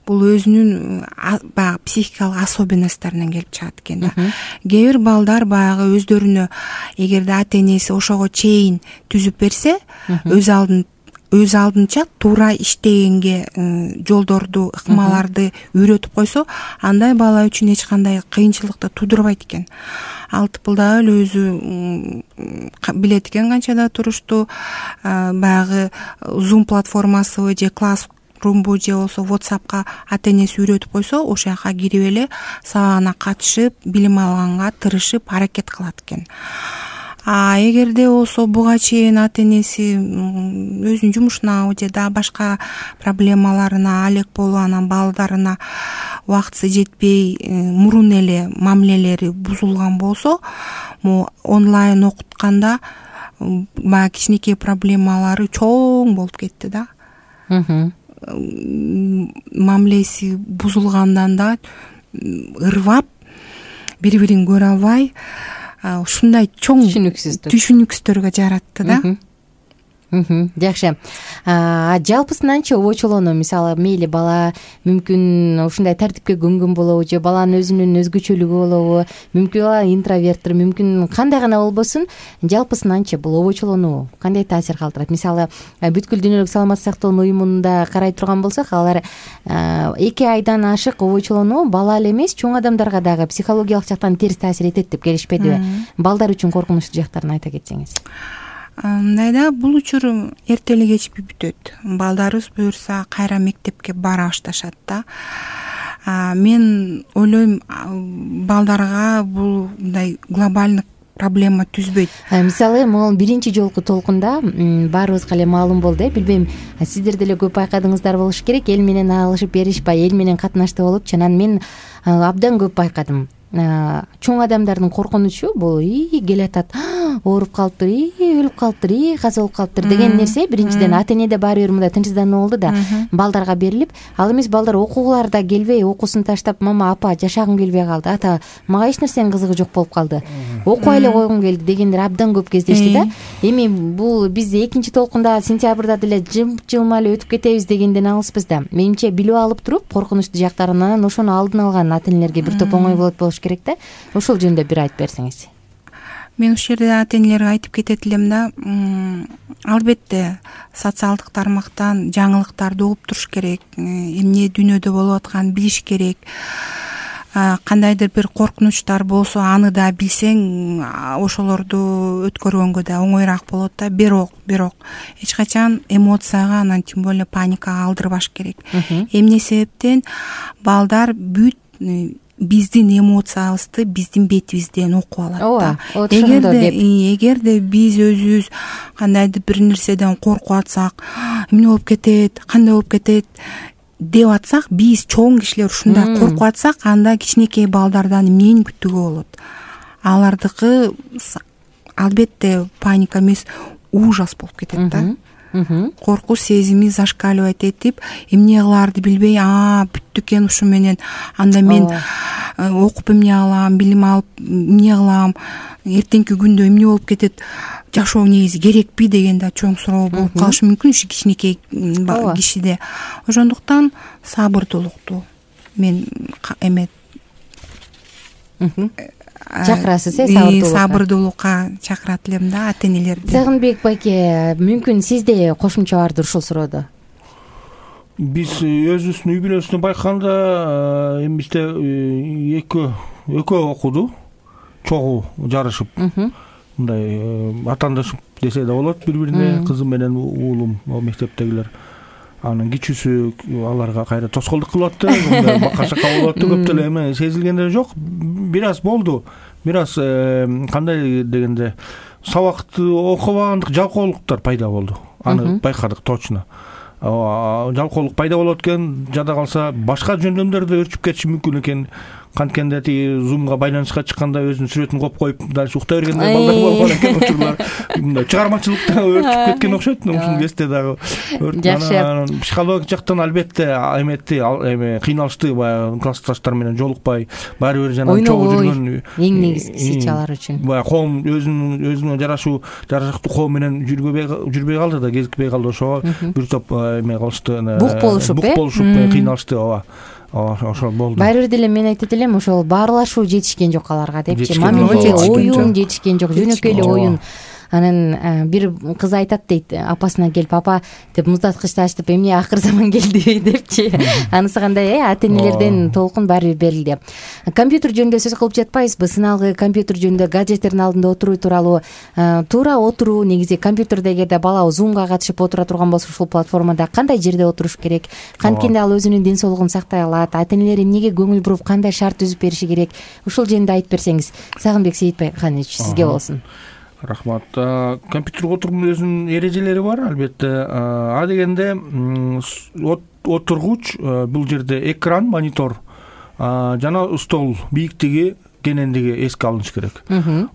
бул өзүнүн баягы психикалык особенностторунан келип чыгат экен да. Кээ бир балдар баягы өздөрүнө эгерде ата энеси ошого чейин түзүп берсе, өз алдын өз алдынча туура иштегенге жолдорду, ыкмаларды үйрөтүп койсо, андай бала үчүн эч кандай кыйынчылыкты туудурбайт экен. Ал тыпылдап эле өзү билет экен канчада турушту, баягы Zoom платформасыбы же Classroomбу же болбосо WhatsAppка ата энеси үйрөтүп койсо, ошол жака кирип эле сабагына катышып, билим алганга тырышып, аракет кылат экен. А эгерде болсо буга чейин ата энеси өзүнүн жумушуна же дагы башка проблемаларына алек болуп, анан балдарына убактысы жетпей, мурун эле мамилелери бузулган болсо, могу онлайн окутканда баягы кичинекей проблемалары чоң болуп кетти да. Мамилеси бузулгандан да ырвап, бири-бирин көрө албай, ушундай чоң түшүнүксүздөргө жаратты да. Жакшы. Жалпысынанчы обочолоону, мисалы, мейли бала мүмкүн ушундай тартипке көнгөн болобу, же баланын өзүнүн өзгөчөлүгү болобу, мүмкүн бала интроверттир, мүмкүн кандай гана болбосун, жалпысынанчы бул обочолоону кандай таасир калтырат? Мисалы, бүткүл дүйнөлүк саламаттык сактоонун уюмунда карай турган болсок, алар эки айдан ашык обочолоону бала эле эмес, чоң адамдарга дагы психологиялык жактан терс таасир этет деп келишпедиби? Балдар үчүн коркунучтуу жактарын айта кетсеңиз. Мындай да, бул учур эрте эле кечпей бүтөт. Балдарыбыз буюрса кайра мектепке бара башташат да. Мен ойлойм, балдарга бул мындай глобальный проблема түзбөйт. Мисалы, могу биринчи жолку толкунда баарыбызга эле маалым болду, билбейм, сиздер деле көп байкадыңыздар болуш керек, эл менен алышып беришпай, эл менен катнашты болуп, анан мен абдан көп байкадым. Чоң адамдардын коркунучу бул ии келатат, ооруп калыптыр, ии өлүп калыптыр, ии каза болуп калыптыр деген нерсе биринчиден ата энеде баары бир мындай тынчсыздануу болду да, балдарга берилип, ал эмес балдар окуугуларда келбей, окуусун таштап, мама, апа, жашагым келбей калды, ата, мага эч нерсенин кызыгы жок болуп калды, окуй эле койгум келди дегендер абдан көп кездешти да. Эми бул биз экинчи толкунда сентябрда деле жым-жылма эле өтүп кетебиз дегенден алыспыз да. Менимче билип алып туруп, коркунучтуу жактарынан ошону алдын алган ата энелерге бир топ оңой болот болуш керек да. Ошол жөнүндө бир айтып берсеңиз. Мен ушул жерде ата энелерге айтып кетет элем да, албетте социалдык тармактан жаңылыктарды угуп туруш керек, эмне дүйнөдө болуп атканын билиш керек. Кандайдыр бир коркунучтар болсо, аны да билсең, ошолорду өткөргөнгө да оңоюраак болот да. Бирок, бирок эч качан эмоцияга, анан тем более паникага алдырбаш керек. Эмне себептен балдар бүт биздин эмоциябызды биздин бетибизден окуп алат да. Эгерде эгерде биз өзүбүз кандайдыр бир нерседен коркуп атсак, эмне болуп кетет, кандай болуп кетет деп атсак, биз чоң кишилер ушундай коркуп атсак, анда кичинекей балдардан эмнени күттүгө болот? Алардыкы албетте паника эмес, ужас болуп кетет да. Коркуу сезими зашкаливать этип, эмне кылаарды билбей, а бүттү экен ушу менен, анда мен окуп эмне алам, билим алып эмне кылам, эртеңки күндө эмне болуп кетет, жашоо негизи керекпи деген да чоң суроо болуп калышы мүмкүн ушу кичинекей кишиде. Ошондуктан сабырдуулукту мен эме чакырасыз, э, сабырдуулукка. Сабырдуулукка чакырат элем да ата энелерди. Сагынбек байке, мүмкүн сизде кошумча бардыр ушул суроодо? Биз өзүбүздүн үй бүлөсүндө байкаганда эми бизде экөө экөө окуду, чогуу жарышып, мындай атаандашып десе да болот бири-бирине, кызым менен уулум, мектептегилер. Анын кичүүсү аларга кайра тоскоолдук кылып атты, мындай бака-шака болуп атты, көп деле эме сезилгендер жок. Бир аз болду. Бир аз кандай дегенде сабакты окубагандык жалкоолуктар пайда болду. Аны байкадык точно. Жалкоолук пайда болот экен, жада калса башка жөндөмдөрдө өрчүп кетиши мүмкүн экен. канткенде тиги зумга байланышка чыкканда өзүнүн сүрөтүн коюп коюп дальше уктай бергендер балдар болгон экен учурлар. Мындай чыгармачылыкта өрчүп кеткен окшойт. Ушул кезде дагы жакшы. Психологик жактан албетте эметти, эме кыйналышты, баягы классташтар менен жолукпай, баары бир жана чогуу жүргөн эң негизгиси алар үчүн. Баягы коом өзүнүн өзүнө жарашуу, жарашыктуу коом менен жүрбөй жүрбөй калды да, кезикпей калды. Ошого бир топ эме кылышты. Бук болушуп, бук болушуп кыйналышты. Ооба. Ошол болду. Баары бир деле мен айтат элем, ошол баарлашуу жетишкен жок аларга депчи. Мамиле оюн жетишкен жок, жөнөкөй эле оюн. Анан бир кыз айтат дейт, апасына келип, апа деп муздаткычты ачтып, эмне акыр заман келди депчи. Анысы кандай, э, ата энелерден толкун баары бир берилди. Компьютер жөнүндө сөз кылып жатпайбызбы? Сыналгы компьютер жөнүндө, гаджеттердин алдында отуруу тууралуу. Туура отуруу, негизи компьютерде эгерде бала зумга катышып отура турган болсо, ушул платформада кандай жерде отуруш керек? Канткенде ал өзүнүн ден соолугун сактай алат? Ата энелер эмнеге көңүл буруп, кандай шарт түзүп бериши керек? Ушул жөнүндө айтып берсеңиз. Сагынбек Сейитбайканович, сизге болсун. Рахмат. Компьютерге отурууның өзүнүн эрежелери бар, албетте. А дегенде отургуч бул жерде экран, монитор жана стол бийиктиги, кенендиги эске алыныш керек.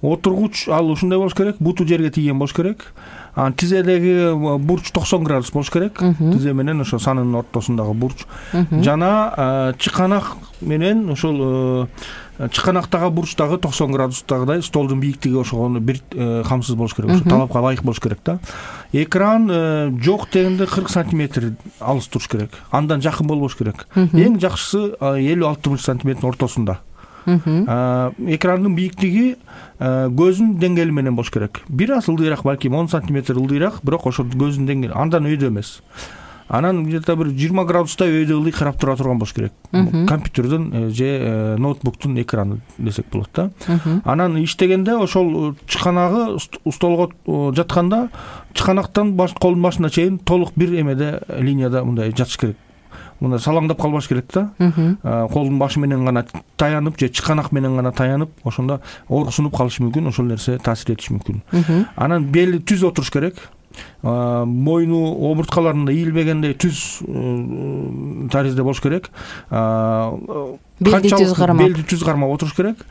Отургуч ал ушундай болуш керек, буту жерге тийген болуш керек. Тизедеги бурч токсон градус болуш керек. Тизе менен ошо санынын ортосундагы бурч. Жана чыканак менен ошол чыканактагы бурчтагы токсон градустагыдай столдун бийиктиги ошого бир камсыз болуш керек. Ошо талапка ылайык болуш керек да. Экран жок дегенде кырк сантиметр алыс туруш керек. Андан жакын болбош керек. Эң жакшысы элүү алтымыш сантиметрдин ортосунда. Экрандын бийиктиги көздүн деңгээли менен болуш керек. Бир аз ылдыйраак, балким он сантиметр ылдыйраак, бирок ошо көздүн деңгээли андан өйдө эмес. Анан где-то бир жыйырма градуста өйдө ылдый карап тура турган болуш керек. Компьютердин же ноутбуктун экраны десек болот да. Анан иштегенде ошол чыканагы столго жатканда чыканактан колдун башына чейин толук бир эмеде линияда мындай жатыш керек. Мына салаңдап калбаш керек да. Колдун башы менен гана таянып же чыканак менен гана таянып, ошондо ооруксунуп калышы мүмкүн, ошол нерсе таасир этиши мүмкүн. Анан бели түз отуруш керек. Мойну омурткаларында ийилбегендей түз таризде болуш керек. Белди түз кармап. Белди түз кармап отуруш керек.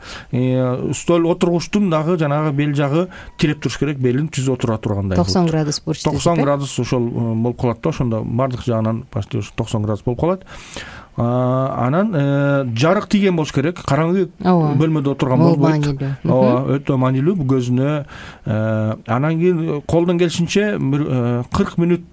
Стол отургучтун дагы жанагы бел жагы тиреп туруш керек, белин түз отура тургандай. токсон градус бурч. токсон градус ошол болуп калат да, ошондо бардык жагынан почти токсон градус болуп калат. Анан жарык тийген болуш керек. Караңгы бөлмөдө отурган болбойт. Ооба, өтө маанилүү бул көзүнө. Анан кийин колдон келишинче кырк мүнөт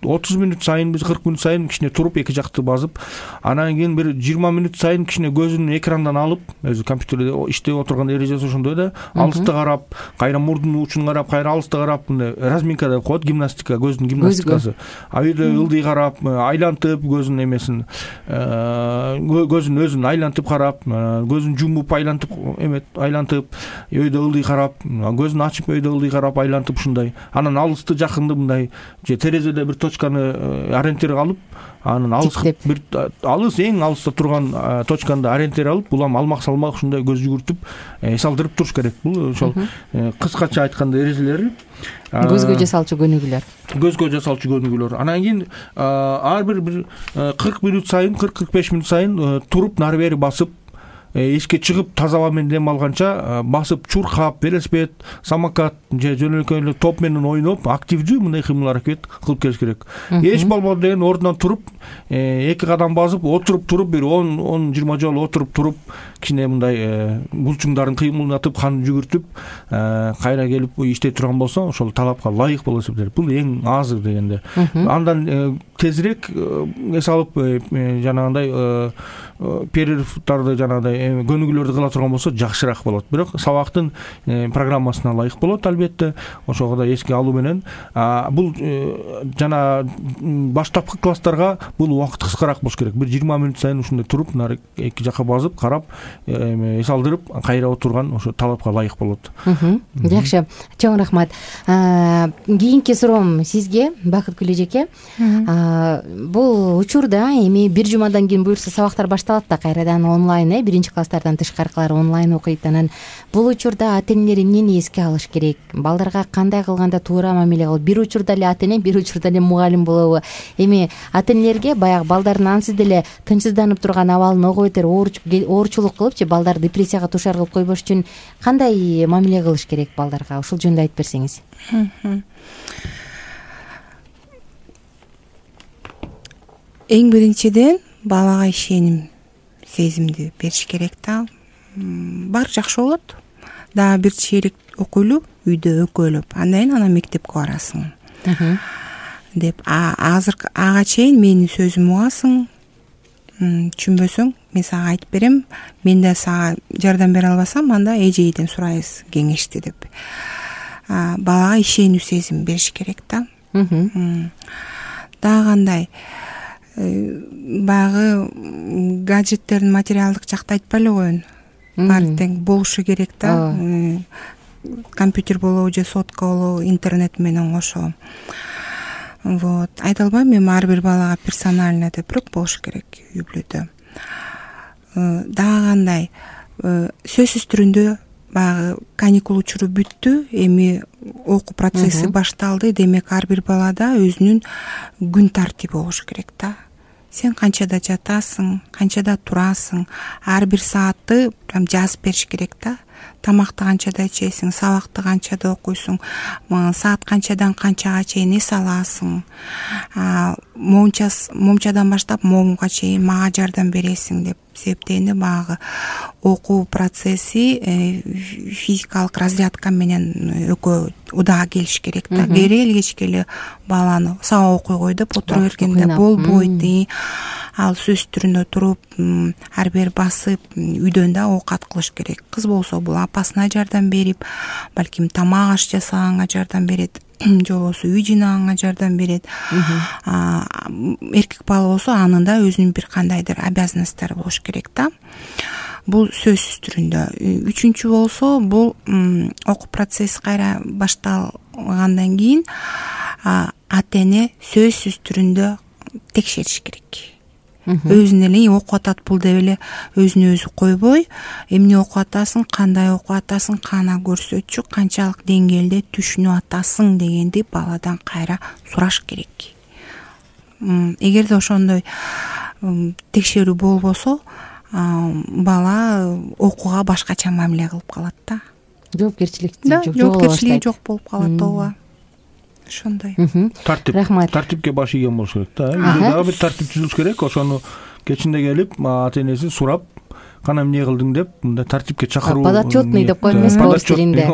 отуз мүнөт сайын, кырк мүнөт сайын кичине туруп эки жакты базып, анан кийин бир жыйырма мүнөт сайын кичине көзүн экрандан алып, өзү компьютерде иштеп отурган эрежеси ошондой да, алысты карап, кайра мурдунун учун карап, кайра алысты карап, мындай разминка деп коет, гимнастика, көздүн гимнастикасы. А үйдө ылдый карап, айлантып көзүнүн эмесин, көзүн өзүн айлантып карап, көзүн жумуп айлантып эмет, айлантып, үйдө ылдый карап, көзүн ачып үйдө ылдый карап айлантып ушундай. Анан алысты жакынды мындай же терезеде бир точканы ориентир алып, анан алыс бир алыс эң алыста турган точканы ориентир алып, улам алмак салмак ушундай көз жүгүртүп, эс алдырып туруш керек. Бул ошол кыскача айтканда эрежелери. Көзгө жасалчу көнүгүүлөр. Көзгө жасалчу көнүгүүлөр. Анан кийин ар бир бир кырк мүнөт сайын, кырк кырк беш мүнөт сайын туруп нары бери басып, эшикке чыгып таза аба менен дем алганча басып, чуркап, велосипед, самокат же жөнөкөй эле топ менен ойноп, активдүү мындай кыймыл аракет кылып келиш керек. Эч болбоду деген ордунан туруп, эки кадам басып, отуруп туруп, бир он он жыйырма жолу отуруп туруп, кичине мындай булчуңдарын кыймылдатып, кан жүгүртүп, кайра келип иштей турган болсо, ошол талапка ылайык болуп эсептелет. Бул эң азыр дегенде. Андан тезирээк эс алып, жанагындай перерывдарды жанагындай көнүгүүлөрдү кыла турган болсо жакшыраак болот. Бирок сабактын программасына ылайык болот, албетте. Ошого да эске алуу менен бул жана баштапкы класстарга бул убакыт кыскараак болуш керек. Бир жыйырма мүнөт сайын ушундай туруп, нары эки жакка басып, карап, эс алдырып, кайра отурган ошо талапка ылайык болот. Жакшы. Чоң рахмат. Кийинки суроом сизге, Бакытгүл эжеке. бул учурда эми бир жумадан кийин буюрса сабактар башталат да кайрадан онлайн, э биринчи класстардан тышкаркылары онлайн окуйт. Анан бул учурда ата энелер эмнени эске алыш керек? Балдарга кандай кылганда туура мамиле кылып? Бир учурда эле ата эне, бир учурда эле мугалим болобу? Эми ата энелерге баягы балдардын ансыз деле тынчсызданып турган абалын ого бетер оорчулук кылыпчы балдар депрессияга дуушар кылып койбош үчүн кандай мамиле кылыш керек балдарга? Ушул жөнүндө айтып берсеңиз. Эң биринчиден балага ишеним сезимди бериш керек да. Баары жакшы болот. Дагы бир чейрек окуйлу үйдө экөөлөп, андан кийин анан мектепке барасың деп. Азыр ага чейин менин сөзүмдү угасың, түшүнбөсөң мен сага айтып берем, мен да сага жардам бере албасам анда эжейден сурайбыз кеңешти деп. Балага ишенүү сезим бериш керек да. Дагы кандай баягы гаджеттердин материалдык жакты айтпай эле коеюн. Баары тең болушу керек да. Компьютер болобу же сотка болобу, интернет менен кошо. Вот. Айта албайм, мен ар бир балага персонально деп бирок болуш керек үй бүлөдө. Дагы кандай сөзсүз түрүндө баягы каникул учуру бүттү, эми окуу процесси башталды. Демек ар бир балада өзүнүн күн тартиби болуш керек да. Сен канчада жатасың, канчада турасың, ар бир саатты прям жазып бериш керек да. Тамакты канчада ичесиң, сабакты канчада окуйсуң, саат канчадан канчага чейин эс аласың, момчадан баштап момга чейин мага жардам бересиң деп себептегенде баягы окуу процесси физикалык разрядка менен экөө удаа келиш керек да. Керел кечке эле баланы сабак окуй кой деп отура бергенде болбойт. Ал сөз түрүндө туруп, ар бир басып, үйдөн да оокат кылыш керек. Кыз болсо бул апасына жардам берип, балким тамак аш жасаганга жардам берет, же болбосо үй жыйнаганга жардам берет. Эркек бала болсо анын да өзүнүн бир кандайдыр обязанносттору болуш керек да. Бул сөзсүз түрүндө. Үчүнчү болсо бул окуу процесси кайра башталгандан кийин ата эне сөзсүз түрүндө текшериш керек. Өзүн эле окуп атат бул деп эле өзүнө өзү койбой, эмне окуп атасың, кандай окуп атасың, кана көрсөтчү, канчалык деңгээлде түшүнүп атасың дегенди баладан кайра сураш керек. Эгерде ошондой текшерүү болбосо, бала окууга башкача мамиле кылып калат да. Жоопкерчиликти жок, жоопкерчилиги жок болуп калат. ооба. Ошондой. Тартип, тартипке баш ийген болуш керек да. Дагы бир тартип түзүлүш керек. Ошону кечинде келип, ата энеси сурап, кана эмне кылдың деп, мындай тартипке чакыруу. Подотчетный деп коебуз орус тилинде.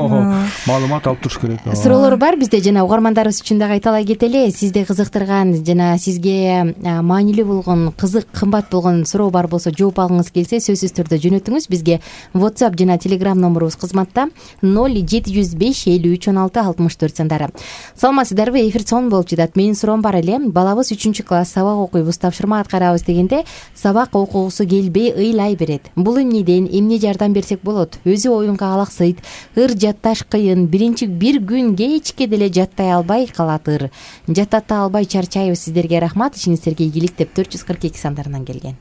Маалымат алып туруш керек. Суроолор бар бизде, жана угармандарыбыз үчүн дагы айталай кетели. Сизди кызыктырган жана сизге маанилүү болгон, кызык, кымбат болгон суроо бар болсо, жооп алгыңыз келсе, сөзсүз түрдө жөнөтүңүз. Бизге WhatsApp жана Telegram номурубуз кызматта ноль жети жүз беш элүү үч он алты алтымыш төрт сандары. Саламатсыздарбы? Эфир сонун болуп жатат. Менин суроом бар эле. Балабыз үчүнчү класс, сабак окуйбуз, тапшырма аткарабыз дегенде сабак окугусу келбей ыйлай берет. Бул эмнеден, эмне жардам берсек болот? Өзү оюнга алаксыйт, ыр жатташ кыйын, биринчи бир күн кечке деле жаттай албай калат ыр. Жаттата албай чарчайбыз. Сиздерге рахмат, ишиңиздерге ийгилик деп төрт жүз кырк эки сандарынан келген.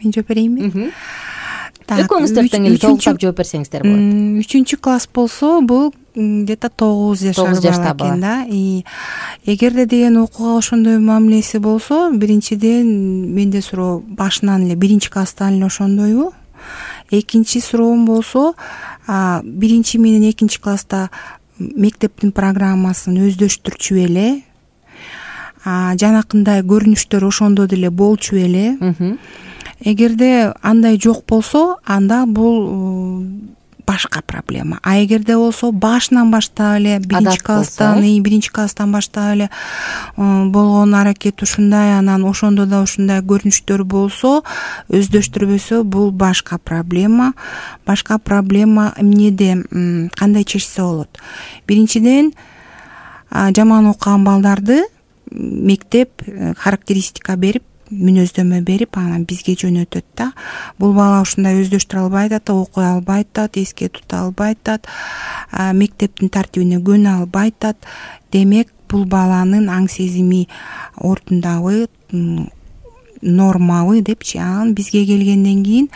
Мен жооп берейинби? Экөөңүз төрттөн эле толуктап жооп берсеңиздер болот. Үчүнчү класс болсо, бул где-то тогуз жашар бала экен да. Эгерде деген окууга ошондой мамилеси болсо, биринчиден менде суроо башынан эле биринчи класстан эле ошондойбу? Экинчи суроом болсо, биринчи менен экинчи класста мектептин программасын өздөштүрчү беле? Жанакындай көрүнүштөр ошондо деле болчу беле? Эгерде андай жок болсо, анда бул башка проблема. А эгерде болсо башынан баштап эле биринчи класстан, биринчи класстан баштап эле болгон аракет ушундай, анан ошондо да ушундай көрүнүштөр болсо, өздөштүрбөсө, бул башка проблема. Башка проблема эмнеде, кандай чечсе болот? Биринчиден, жаман окуган балдарды мектеп характеристика берип, мүнөздөмө берип, анан бизге жөнөтөт да. Бул бала ушундай өздөштүрө албай атат, окуй албай атат, эске тута албай атат, мектептин тартибине көнө албай атат. Демек, бул баланын аң сезими ордундабы, нормабы депчи. Анан бизге келгенден кийин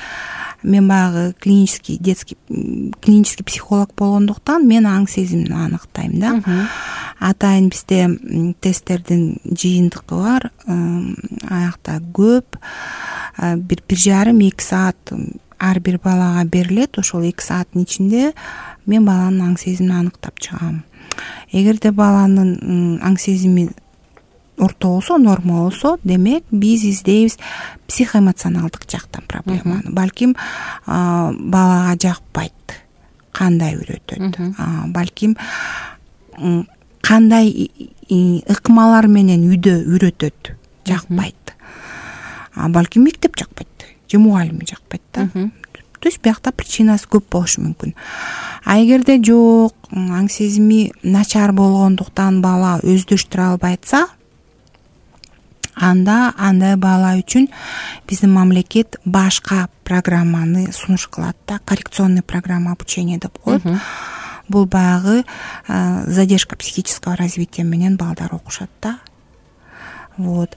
мен баягы клинический детский клинический психолог болгондуктан мен аң сезимин аныктайм да. Атайын бизде тесттердин жыйынтыгы бар, аякта көп, бир бир жарым эки саат ар бир балага берилет. Ошол эки сааттын ичинде мен баланын аң сезимин аныктап чыгам. Эгерде баланын аң сезими орто болсо, норма болсо, демек биз издейбиз психоэмоционалдык жактан проблеманы. Балким балага жакпайт, кандай үйрөтөт, балким кандай ыкмалар менен үйдө үйрөтөт, жакпайт. Балким мектеп жакпайт же мугалими жакпайт да. То есть биякта причинасы көп болушу мүмкүн. А эгерде жок, аң сезими начар болгондуктан бала өздөштүрө албайатса, анда андай бала үчүн биздин мамлекет башка программаны сунуш кылат да, коррекционный программа обучения деп коет. Бул баягы задержка психического развития менен балдар окушат да. Вот.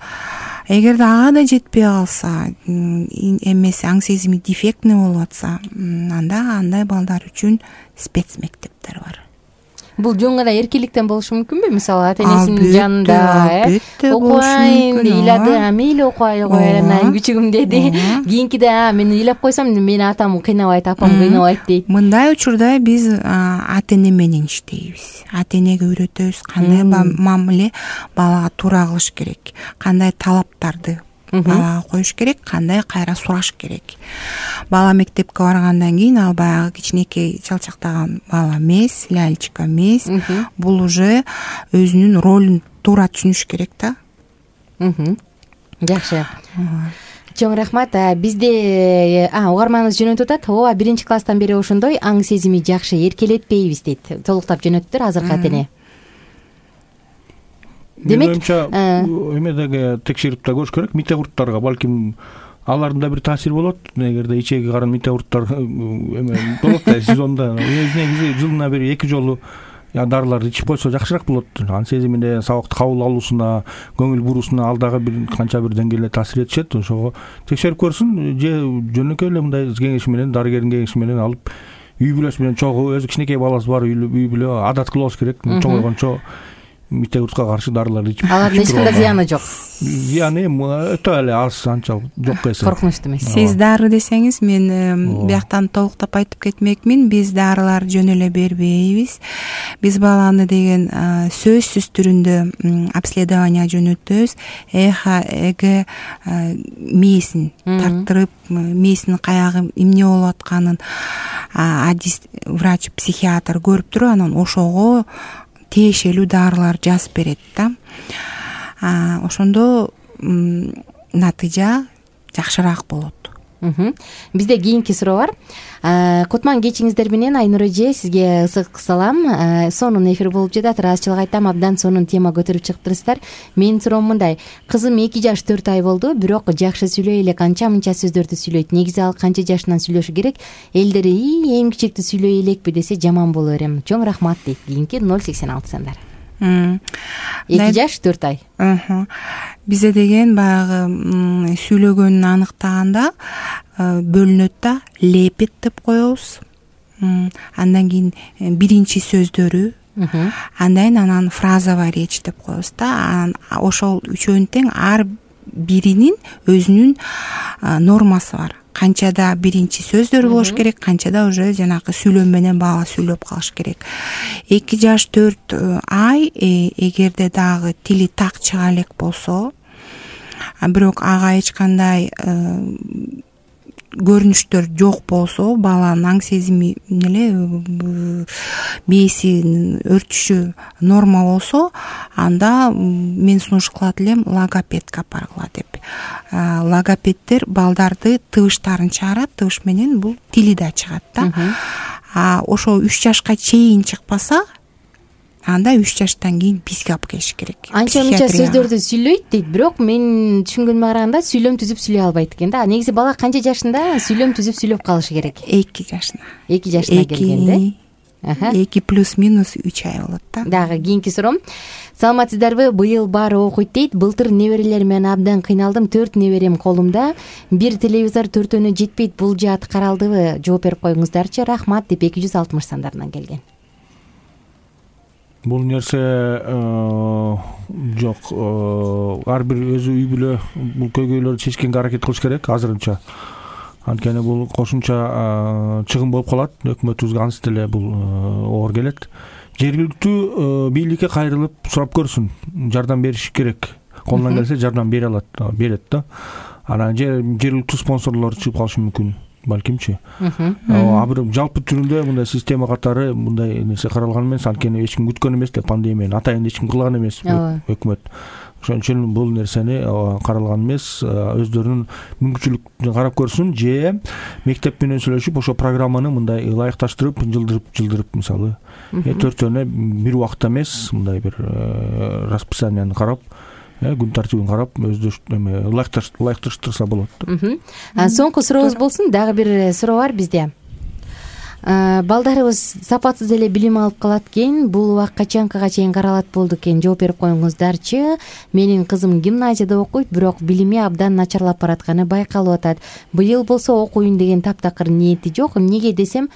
Эгерде ага да жетпей калса, эмеси аң сезими дефектный болуп атса, анда андай балдар үчүн спецмектептер бар. Бул жөн гана эркиндиктен болушу мүмкүнбү? Мисалы ата энесинин жанында окуайын ыйлады, мейли окуай кой, анан күчүгүм деди. Кийинкиде мен ыйлап койсом, мени атам кыйнабайт, апам кыйнабайт дейт. Мындай учурда биз ата эне менен иштейбиз. Ата энеге үйрөтөбүз кандай мамиле балага туура кылыш керек, кандай талаптарды балага коюш керек, кандай кайра сураш керек. Бала мектепке баргандан кийин ал баягы кичинекей чалчактаган бала эмес, лялечка эмес. Бул уже өзүнүн ролун туура түшүнүш керек да. Жакшы. Чоң рахмат. Бизде угарманыбыз жөнөтүп атат. Ооба, биринчи класстан бери ошондой аң сезими жакшы эркелетпейбиз дейт. Толуктап жөнөттүр азыркы ата эне. Демек, эмедеги текшерип да көрүш керек. Мите курттарга балким алардын да бир таасири болот. Эгерде ичеги карын мите курттар эме болот да, сезонда негизи жылына бир эки жолу дарыларды ичип койсо жакшыраак болот. Аң сезимине, сабакты кабыл алуусуна, көңүл буруусуна ал дагы бир канча бир деңгээлде таасир этишет. Ошого текшерип көрсүн же жөнөкөй эле мындай кеңеш менен, дарыгердин кеңеши менен алып үй бүлөсү менен чогуу, өзү кичинекей баласы бар үй бүлө адат кылыш керек. Чоңойгончо мите куртка каршы дарыларды ичип. Алардын эч кандай зыяны жок. Зыяны өтө эле аз, анча жок эсе. Коркунучтуу эмес. Сиз дары десеңиз, мен бияктан толуктап айтып кетмекмин. Биз дарылар жөн эле бербейбиз. Биз баланы деген сөзсүз түрүндө обследование жөнөтөбүз. Эхо, эге мээсин тарттырып, мээсинин каягы эмне болуп атканын врач, психиатр көрүп туруп, анан ошого тиешелүү дарылар жазып берет да. Ошондо натыйжа жакшыраак болот. Бизде кийинки суроо бар. Кутман кечиңиздер менен, Айнур эже, сизге ысык салам. Сонун эфир болуп жатат. Ыраазычылык айтам, абдан сонун тема көтөрүп чыктырсыздар. Менин суроом мындай: кызым эки жаш төрт ай болду, бирок жакшы сүйлөй элек, анча-мынча сөздөрдү сүйлөйт. Негизи ал канча жашынан сүйлөшү керек? Элдери эң кичикти сүйлөй элекпи десе жаман боло берем. Чоң рахмат дейт. Кийинки ноль сексен алты сандар. эки жаш төрт ай. Бизде деген баягы сүйлөгөнүн аныктаганда бөлүнөт да, лепет деп коебуз. Андан кийин биринчи сөздөрү, андан кийин анан фразовая речь деп коебуз да. Ошол үчөөнүн тең ар биринин өзүнүн нормасы бар. Канчада биринчи сөздөр болуш керек, канчада уже жанагы сүйлөм менен бала сүйлөп калыш керек. эки жаш төрт ай эгерде дагы тили так чыга элек болсо, бирок ага эч кандай көрүнүштөр жок болсо, баланын аң сезими эле мээсинин өрчүшү норма болсо, анда мен сунуш кылат элем логопедке апаргыла деп. Логопеддер балдарды тыбыштарын чыгарат, тыбыш менен бул тили да чыгат да. А ошо үч жашка чейин чыкпаса, анда үч жаштан кийин бизге алып келиш керек. Анча-мынча сөздөрдү сүйлөйт дейт, бирок мен түшүнгөнүмө караганда сүйлөм түзүп сүйлөй албайт экен да. Негизи бала канча жашында сүйлөм түзүп сүйлөп калышы керек? эки жашына. эки жашына келгенде. эки плюс минус үч ай болот да. Дагы кийинки суроом: саламатсыздарбы, быйыл баары окуйт дейт. Былтыр неберелер менен абдан кыйналдым. Төрт неберем колумда. Бир телевизор төртөөнө жетпейт. Бул жаат каралдыбы? Жооп берип коюңуздарчы. Рахмат деп эки жүз алтымыш сандарынан келген. Бул нерсе жок. Ар бир өзү үй бүлө бул көйгөйлөрдү чечкенге аракет кылыш керек азырынча. Анткени бул кошумча чыгым болуп калат. Өкмөтүбүзгө ансы деле бул оор келет. Жергиликтүү бийликке кайрылып сурап көрсүн. Жардам бериш керек. Колунан келсе жардам бере алат, берет да. Анан жергиликтүү спонсорлор чыгып калышы мүмкүн. Балкимчи. А бир жалпы түрүндө мындай система катары мындай нерсе каралган эмес, анткени эч ким күткөн эмес да пандемияны. Атайын эч ким кылган эмес өкмөт. Ошон үчүн бул нерсени каралган эмес. Өздөрүнүн мүмкүнчүлүктөрүн карап көрсүн же мектеп менен сүйлөшүп ошо программаны мындай ылайыкташтырып, жылдырып-жылдырып мисалы төртөөнө бир убакытта эмес, мындай бир расписанияны карап, күн тартибин карап ылайыкташтырса болот. Соңку сурообуз болсун. Дагы бир суроо бар бизде. Балдарыбыз сапатсыз эле билим алып калат экен. Бул убак качанкага чейин каралат болду экен? Жооп берип коюңуздарчы. Менин кызым гимназияда окуйт, бирок билими абдан начарлап баратканы байкалып атат. Быйыл болсо окуйн деген таптакыр ниети жок. Эмнеге десем,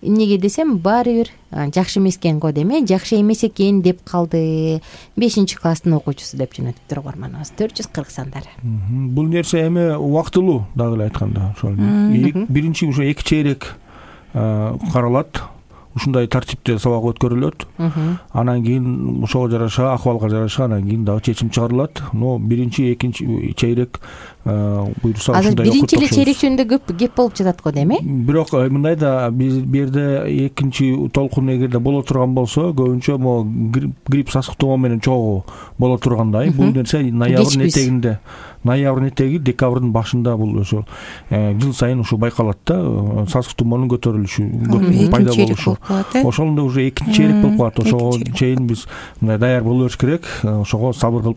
эмнеге десем баары бир жакшы эмес экен го деме, жакшы эмес экен деп калды. бешинчи класстын окуучусу деп жөнөтүптүр угарманыбыз. төрт жүз кырк сандары. Бул нерсе эми убактылуу дагы эле айтканда. Ошол биринчи ушу эки чейрек каралат. Ушундай тартипте сабак өткөрүлөт. Анан кийин ошого жараша, акыбалга жараша анан кийин дагы чечим чыгарылат. Но биринчи, экинчи чейрек буйруса ушундай окуп. Биринчи эле чейрек жөнүндө көп кеп болуп жатат го деме? Бирок мындай да биз бу жерде экинчи толкун эгерде боло турган болсо, көбүнчө могу грипп сасыктоо менен чогуу боло тургандай. Бул нерсе ноябрдын этегинде, ноябрдын этеги, декабрдын башында бул ошо жыл сайын ушу байкалат да, сасык тумоонун көтөрүлүшү пайда болушу. Ошондо уже экинчи чейрек болуп калат. Ошого чейин биз мындай даяр боло бериш керек. Ошого сабыр кылып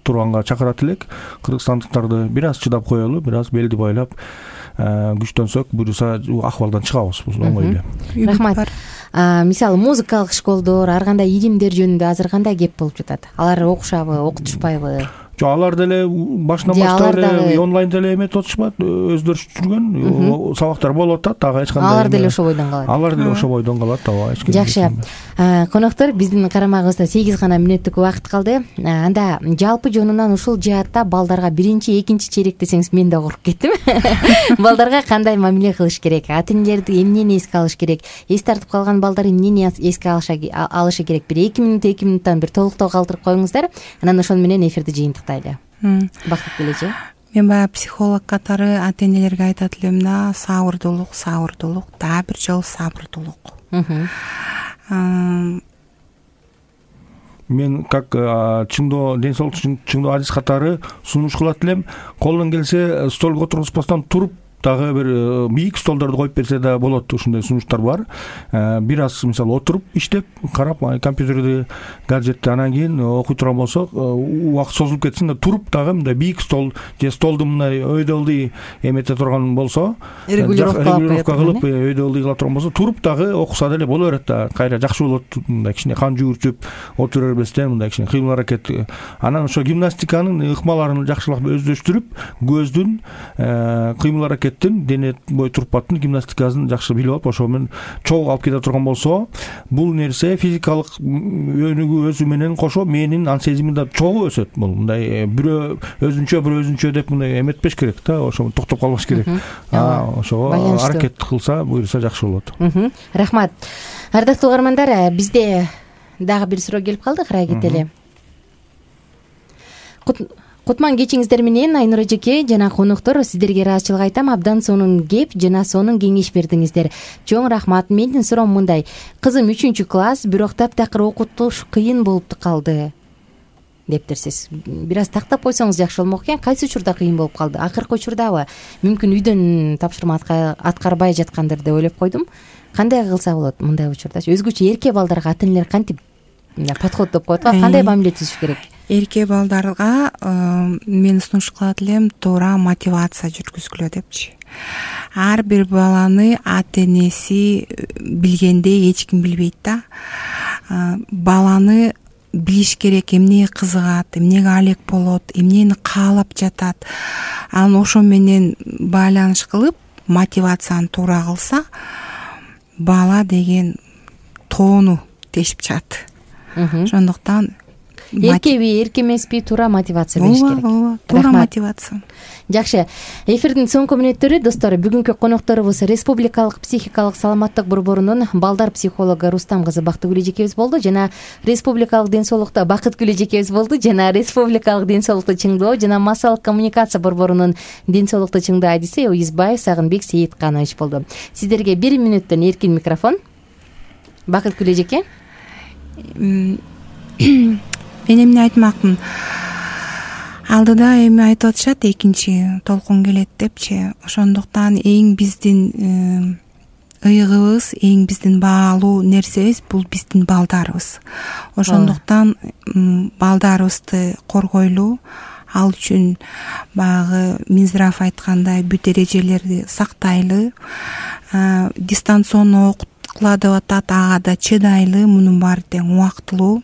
турганга чакырат элек. Кыргызстандыктарды бир аз чыдап коелу, бир аз белди байлап күчтөнсөк, буюрса акыбалдан чыгабыз. Бул оңой эле. Рахмат. Мисалы музыкалык школдор, ар кандай илимдер жөнүндө азыр кандай кеп болуп жатат? Алар окушабы, окутушпайбы? Жок, алар деле башынан баштап эле онлайн деле эметип атышпайт, өздөрү жүргөн сабактар болуп атат, ага эч кандай. Алар деле ошо бойдон калат. Алар деле ошо бойдон калат, ооба. Жакшы. Коноктор, биздин карамагыбызда сегиз гана мүнөттүк убакыт калды. Анда жалпы жонунан ушул жаатта балдарга биринчи, экинчи чейрек десеңиз мен да куруп кеттим. Балдарга кандай мамиле кылыш керек? Ата-энелерди эмнени эске алыш керек? Эс тартып калган балдар эмнени эске алышы керек? Бир эки мүнөт, эки мүнөттөн бир толуктоо калтырып коюңуздар. Анан ошону менен эфирди жыйынтыктайлы. Бактык келечи. Мен баягы психолог катары ата-энелерге айтат элем да, сабырдуулук, сабырдуулук, дагы бир жолу сабырдуулук. Мен как чыңдоо, ден соолук чыңдоо адис катары сунуш кылат элем. Колунан келсе столго отургузбастан туруп дагы бир бийик столдорду коюп берсе да болот. Ушундай сунуштар бар. Бир аз мисалы отуруп иштеп, карап компьютерди, гаджетти, анан кийин окуй турган болсок, убакыт созулуп кетсин да туруп дагы мындай бийик стол же столду мындай өйдөлдүй эмете турган болсо, регулировка кылып өйдөлдүй кыла турган болсо, туруп дагы окуса деле боло берет да. Кайра жакшы болот. Мындай кичине кан жүгүртүп отура бербестен мындай кичине кыймыл аракет. Анан ошо гимнастиканын ыкмаларын жакшылап өздөштүрүп, көздүн кыймыл аракет дене бой турпаттын гимнастикасын жакшы билип алып, ошо менен чогуу алып кете турган болсо, бул нерсе физикалык өнүгүү өсүү менен кошо мээнин ан сезими да чогуу өсөт. Бул мындай бирөө өзүнчө, бирөө өзүнчө деп мындай эметпеш керек да, ошо токтоп калбаш керек. Ошого аракет кылса, буюрса жакшы болот. Рахмат. Ардактуу угармандар, бизде дагы бир суроо келип калды, карай кетели. Кутман кечиңиздер менен Айнура эжеке жана коноктор, сиздерге ыраазычылык айтам. Абдан сонун кеп жана сонун кеңеш бердиңиздер. Чоң рахмат. Менин суроом мындай. Кызым үчүнчү класс, бирок таптакыр окутуш кыйын болуп калды дептерсиз. Бир аз тактап койсоңуз жакшы болмок экен. Кайсы учурда кыйын болуп калды? Акыркы учурдабы? Мүмкүн үйдөн тапшырма аткарбай жаткандыр деп ойлоп койдум. Кандай кылса болот мындай учурдачы? Өзгөчө эрке балдарга ата-энелер кантип подход деп коет го, кандай мамиле түзүш керек? Эрке балдарга мен сунуш кылат элем, туура мотивация жүргүзгүлө депчи. Ар бир баланы ата-энеси билгендей эч ким билбейт да. Баланы билиш керек, эмне кызыгат, эмнеге алек болот, эмнени каалап жатат. Анан ошо менен байланыш кылып мотивацияны туура кылса, бала деген тоону тешип чыгат. Ошондуктан эркеби, эрке эмеспи, туура мотивация бериш керек. Ооба, туура мотивация. Жакшы. Эфирдин соңку мүнөттөрү достор, бүгүнкү конокторубуз Республикалык психикалык саламаттык борборунун балдар психологу Рустам кызы Бактыгүл эжекебиз болду жана Республикалык ден соолукта Бакыткүл эжекебиз болду жана Республикалык ден соолукту чыңдоо жана массалык коммуникация борборунун ден соолукту чыңдоо адиси Уюзбаев Сагынбек Сейитканович болду. Сиздерге бир мүнөттөн эркин микрофон. Бакыткүл эжеке. Мен эмне айтмакмын? Алдыда эми айтып атышат, экинчи толкун келет депчи. Ошондуктан эң биздин ыйыгыбыз, эң биздин баалуу нерсебиз бул биздин балдарыбыз. Ошондуктан балдарыбызды коргойлу, ал үчүн баягы Минздрав айткандай бүт эрежелерди сактайлы, дистанционно окуткула деп атат, ага да чыдайлы, мунун баары тең убактылуу.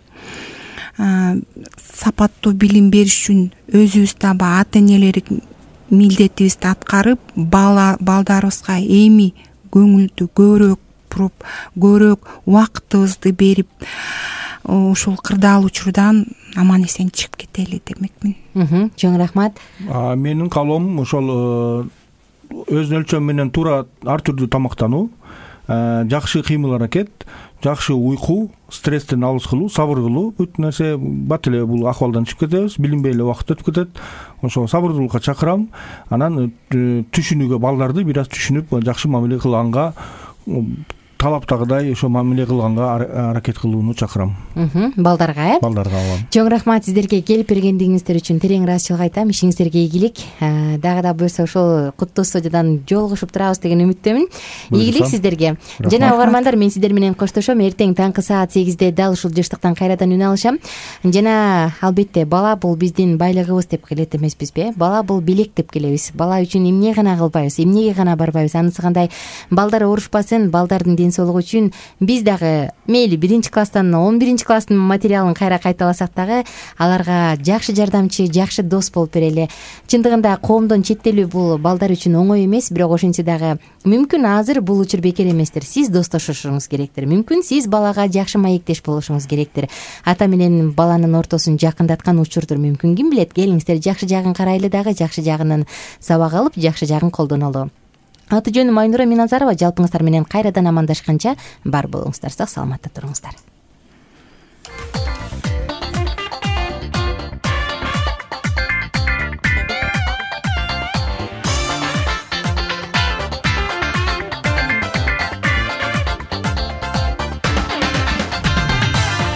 Сапаттуу билим бериш үчүн өзүбүз дагы ата энелердик милдетибизди аткарып, бала балдарыбызга эми көңүлдү көбүрөөк буруп, көбүрөөк убактыбызды берип, ушул кырдаал учурдан аман эсен чыгып кетели демекмин. Чоң рахмат. Менин каалоом ошол өз өлчөм менен туура ар түрдүү тамактануу, жакшы кыймыл аракет, жакшы уйку, стресстен алыс кылуу, сабыр кылуу, бүт нерсе бат эле бул акыбалдан чыгып кетебиз, билинбей эле убакыт өтүп кетет. Ошо сабырдуулукка чакырам. Анан түшүнүүгө, балдарды бир аз түшүнүп, жакшы мамиле кылганга, талаптагыдай ошо мамиле кылганга аракет кылууну чакырам. Балдарга, э? Балдарга. Чоң рахмат сиздерге келип бергендигиңиздер үчүн терең ыраазычылык айтам. Ишиңиздерге ийгилик. Дагы да буюрса ошол куттуу студиядан жолугушуп турабыз деген үмүттөмүн. Ийгилик сиздерге. Жана угармандар, мен сиздер менен коштошом. Эртең таңкы саат сегизде дал ушул жыштыктан кайрадан үн алышам. Жана албетте бала бул биздин байлыгыбыз деп келет эмеспизби? Бала бул белек деп келебиз. Бала үчүн эмне гана кылбайбыз, эмнеге гана барбайбыз. Анысы кандай? Балдар оорушпасын, балдардын ден соолугу үчүн биз дагы мейли биринчи класстан он биринчи класстын материалын кайра кайталасак дагы аларга жакшы жардамчы, жакшы дос болуп берели. Чындыгында коомдон четтелүү бул балдар үчүн оңой эмес, бирок ошентсе дагы мүмкүн азыр бул учур бекер эместир. Сиз достошушуңуз керектир. Мүмкүн сиз балага жакшы маектеш болушуңуз керектир. Ата менен баланын ортосун жакындаткан учурдур мүмкүн. Ким билет, келиңиздер жакшы жагын карайлы дагы, жакшы жагынан сабак алып, жакшы жагын колдонолу. Аты жөнүм Айнура Миназарова. Жалпыңыздар менен кайрадан амандашканча бар болуңуздар, сак саламатта туруңуздар.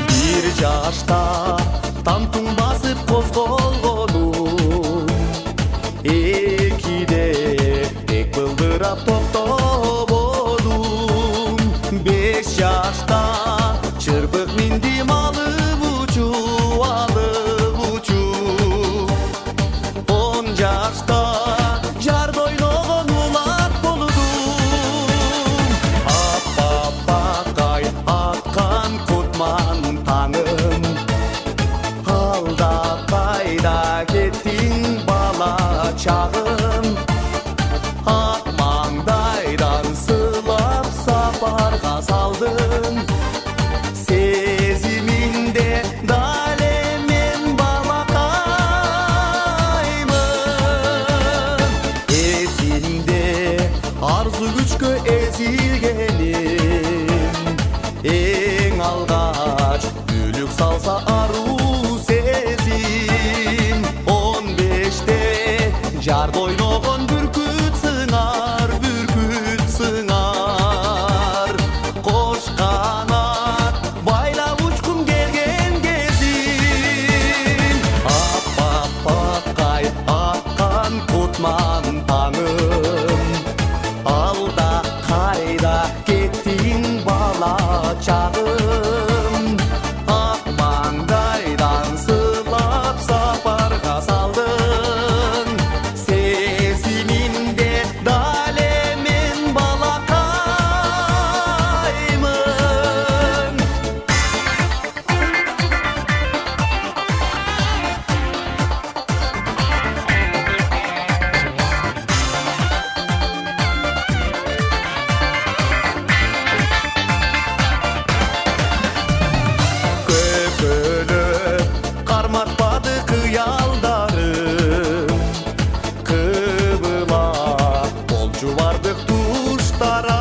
Бир жашта тантың басып козголгону, экиде тек былдырап токтободум. Беш жашта чырбык миндим алып учуп, алып учуп. Он жашта жарда ойногон улак болдум. Аппапакай аткан кутман таңым, алда кайда кеттиң бала чагым. Ак маңдайдан сылап сапарга салдым, сезиминде дале мен балакаймын. Эсимде арзу күчкө эзилгеним, эң алгач бүлүк салса аруу сезим. Он беште жарда ойногон бүркүт сыңар, бүркүт сыңар. Кош канат байлап учкум келген кезин. Аппапакай аткан кутман таңым, алда кайда кеттиң бала чагым. Ак маңдайдан сылап сапарга салдың, сезиминде дале мен балакаймын. бардык туштар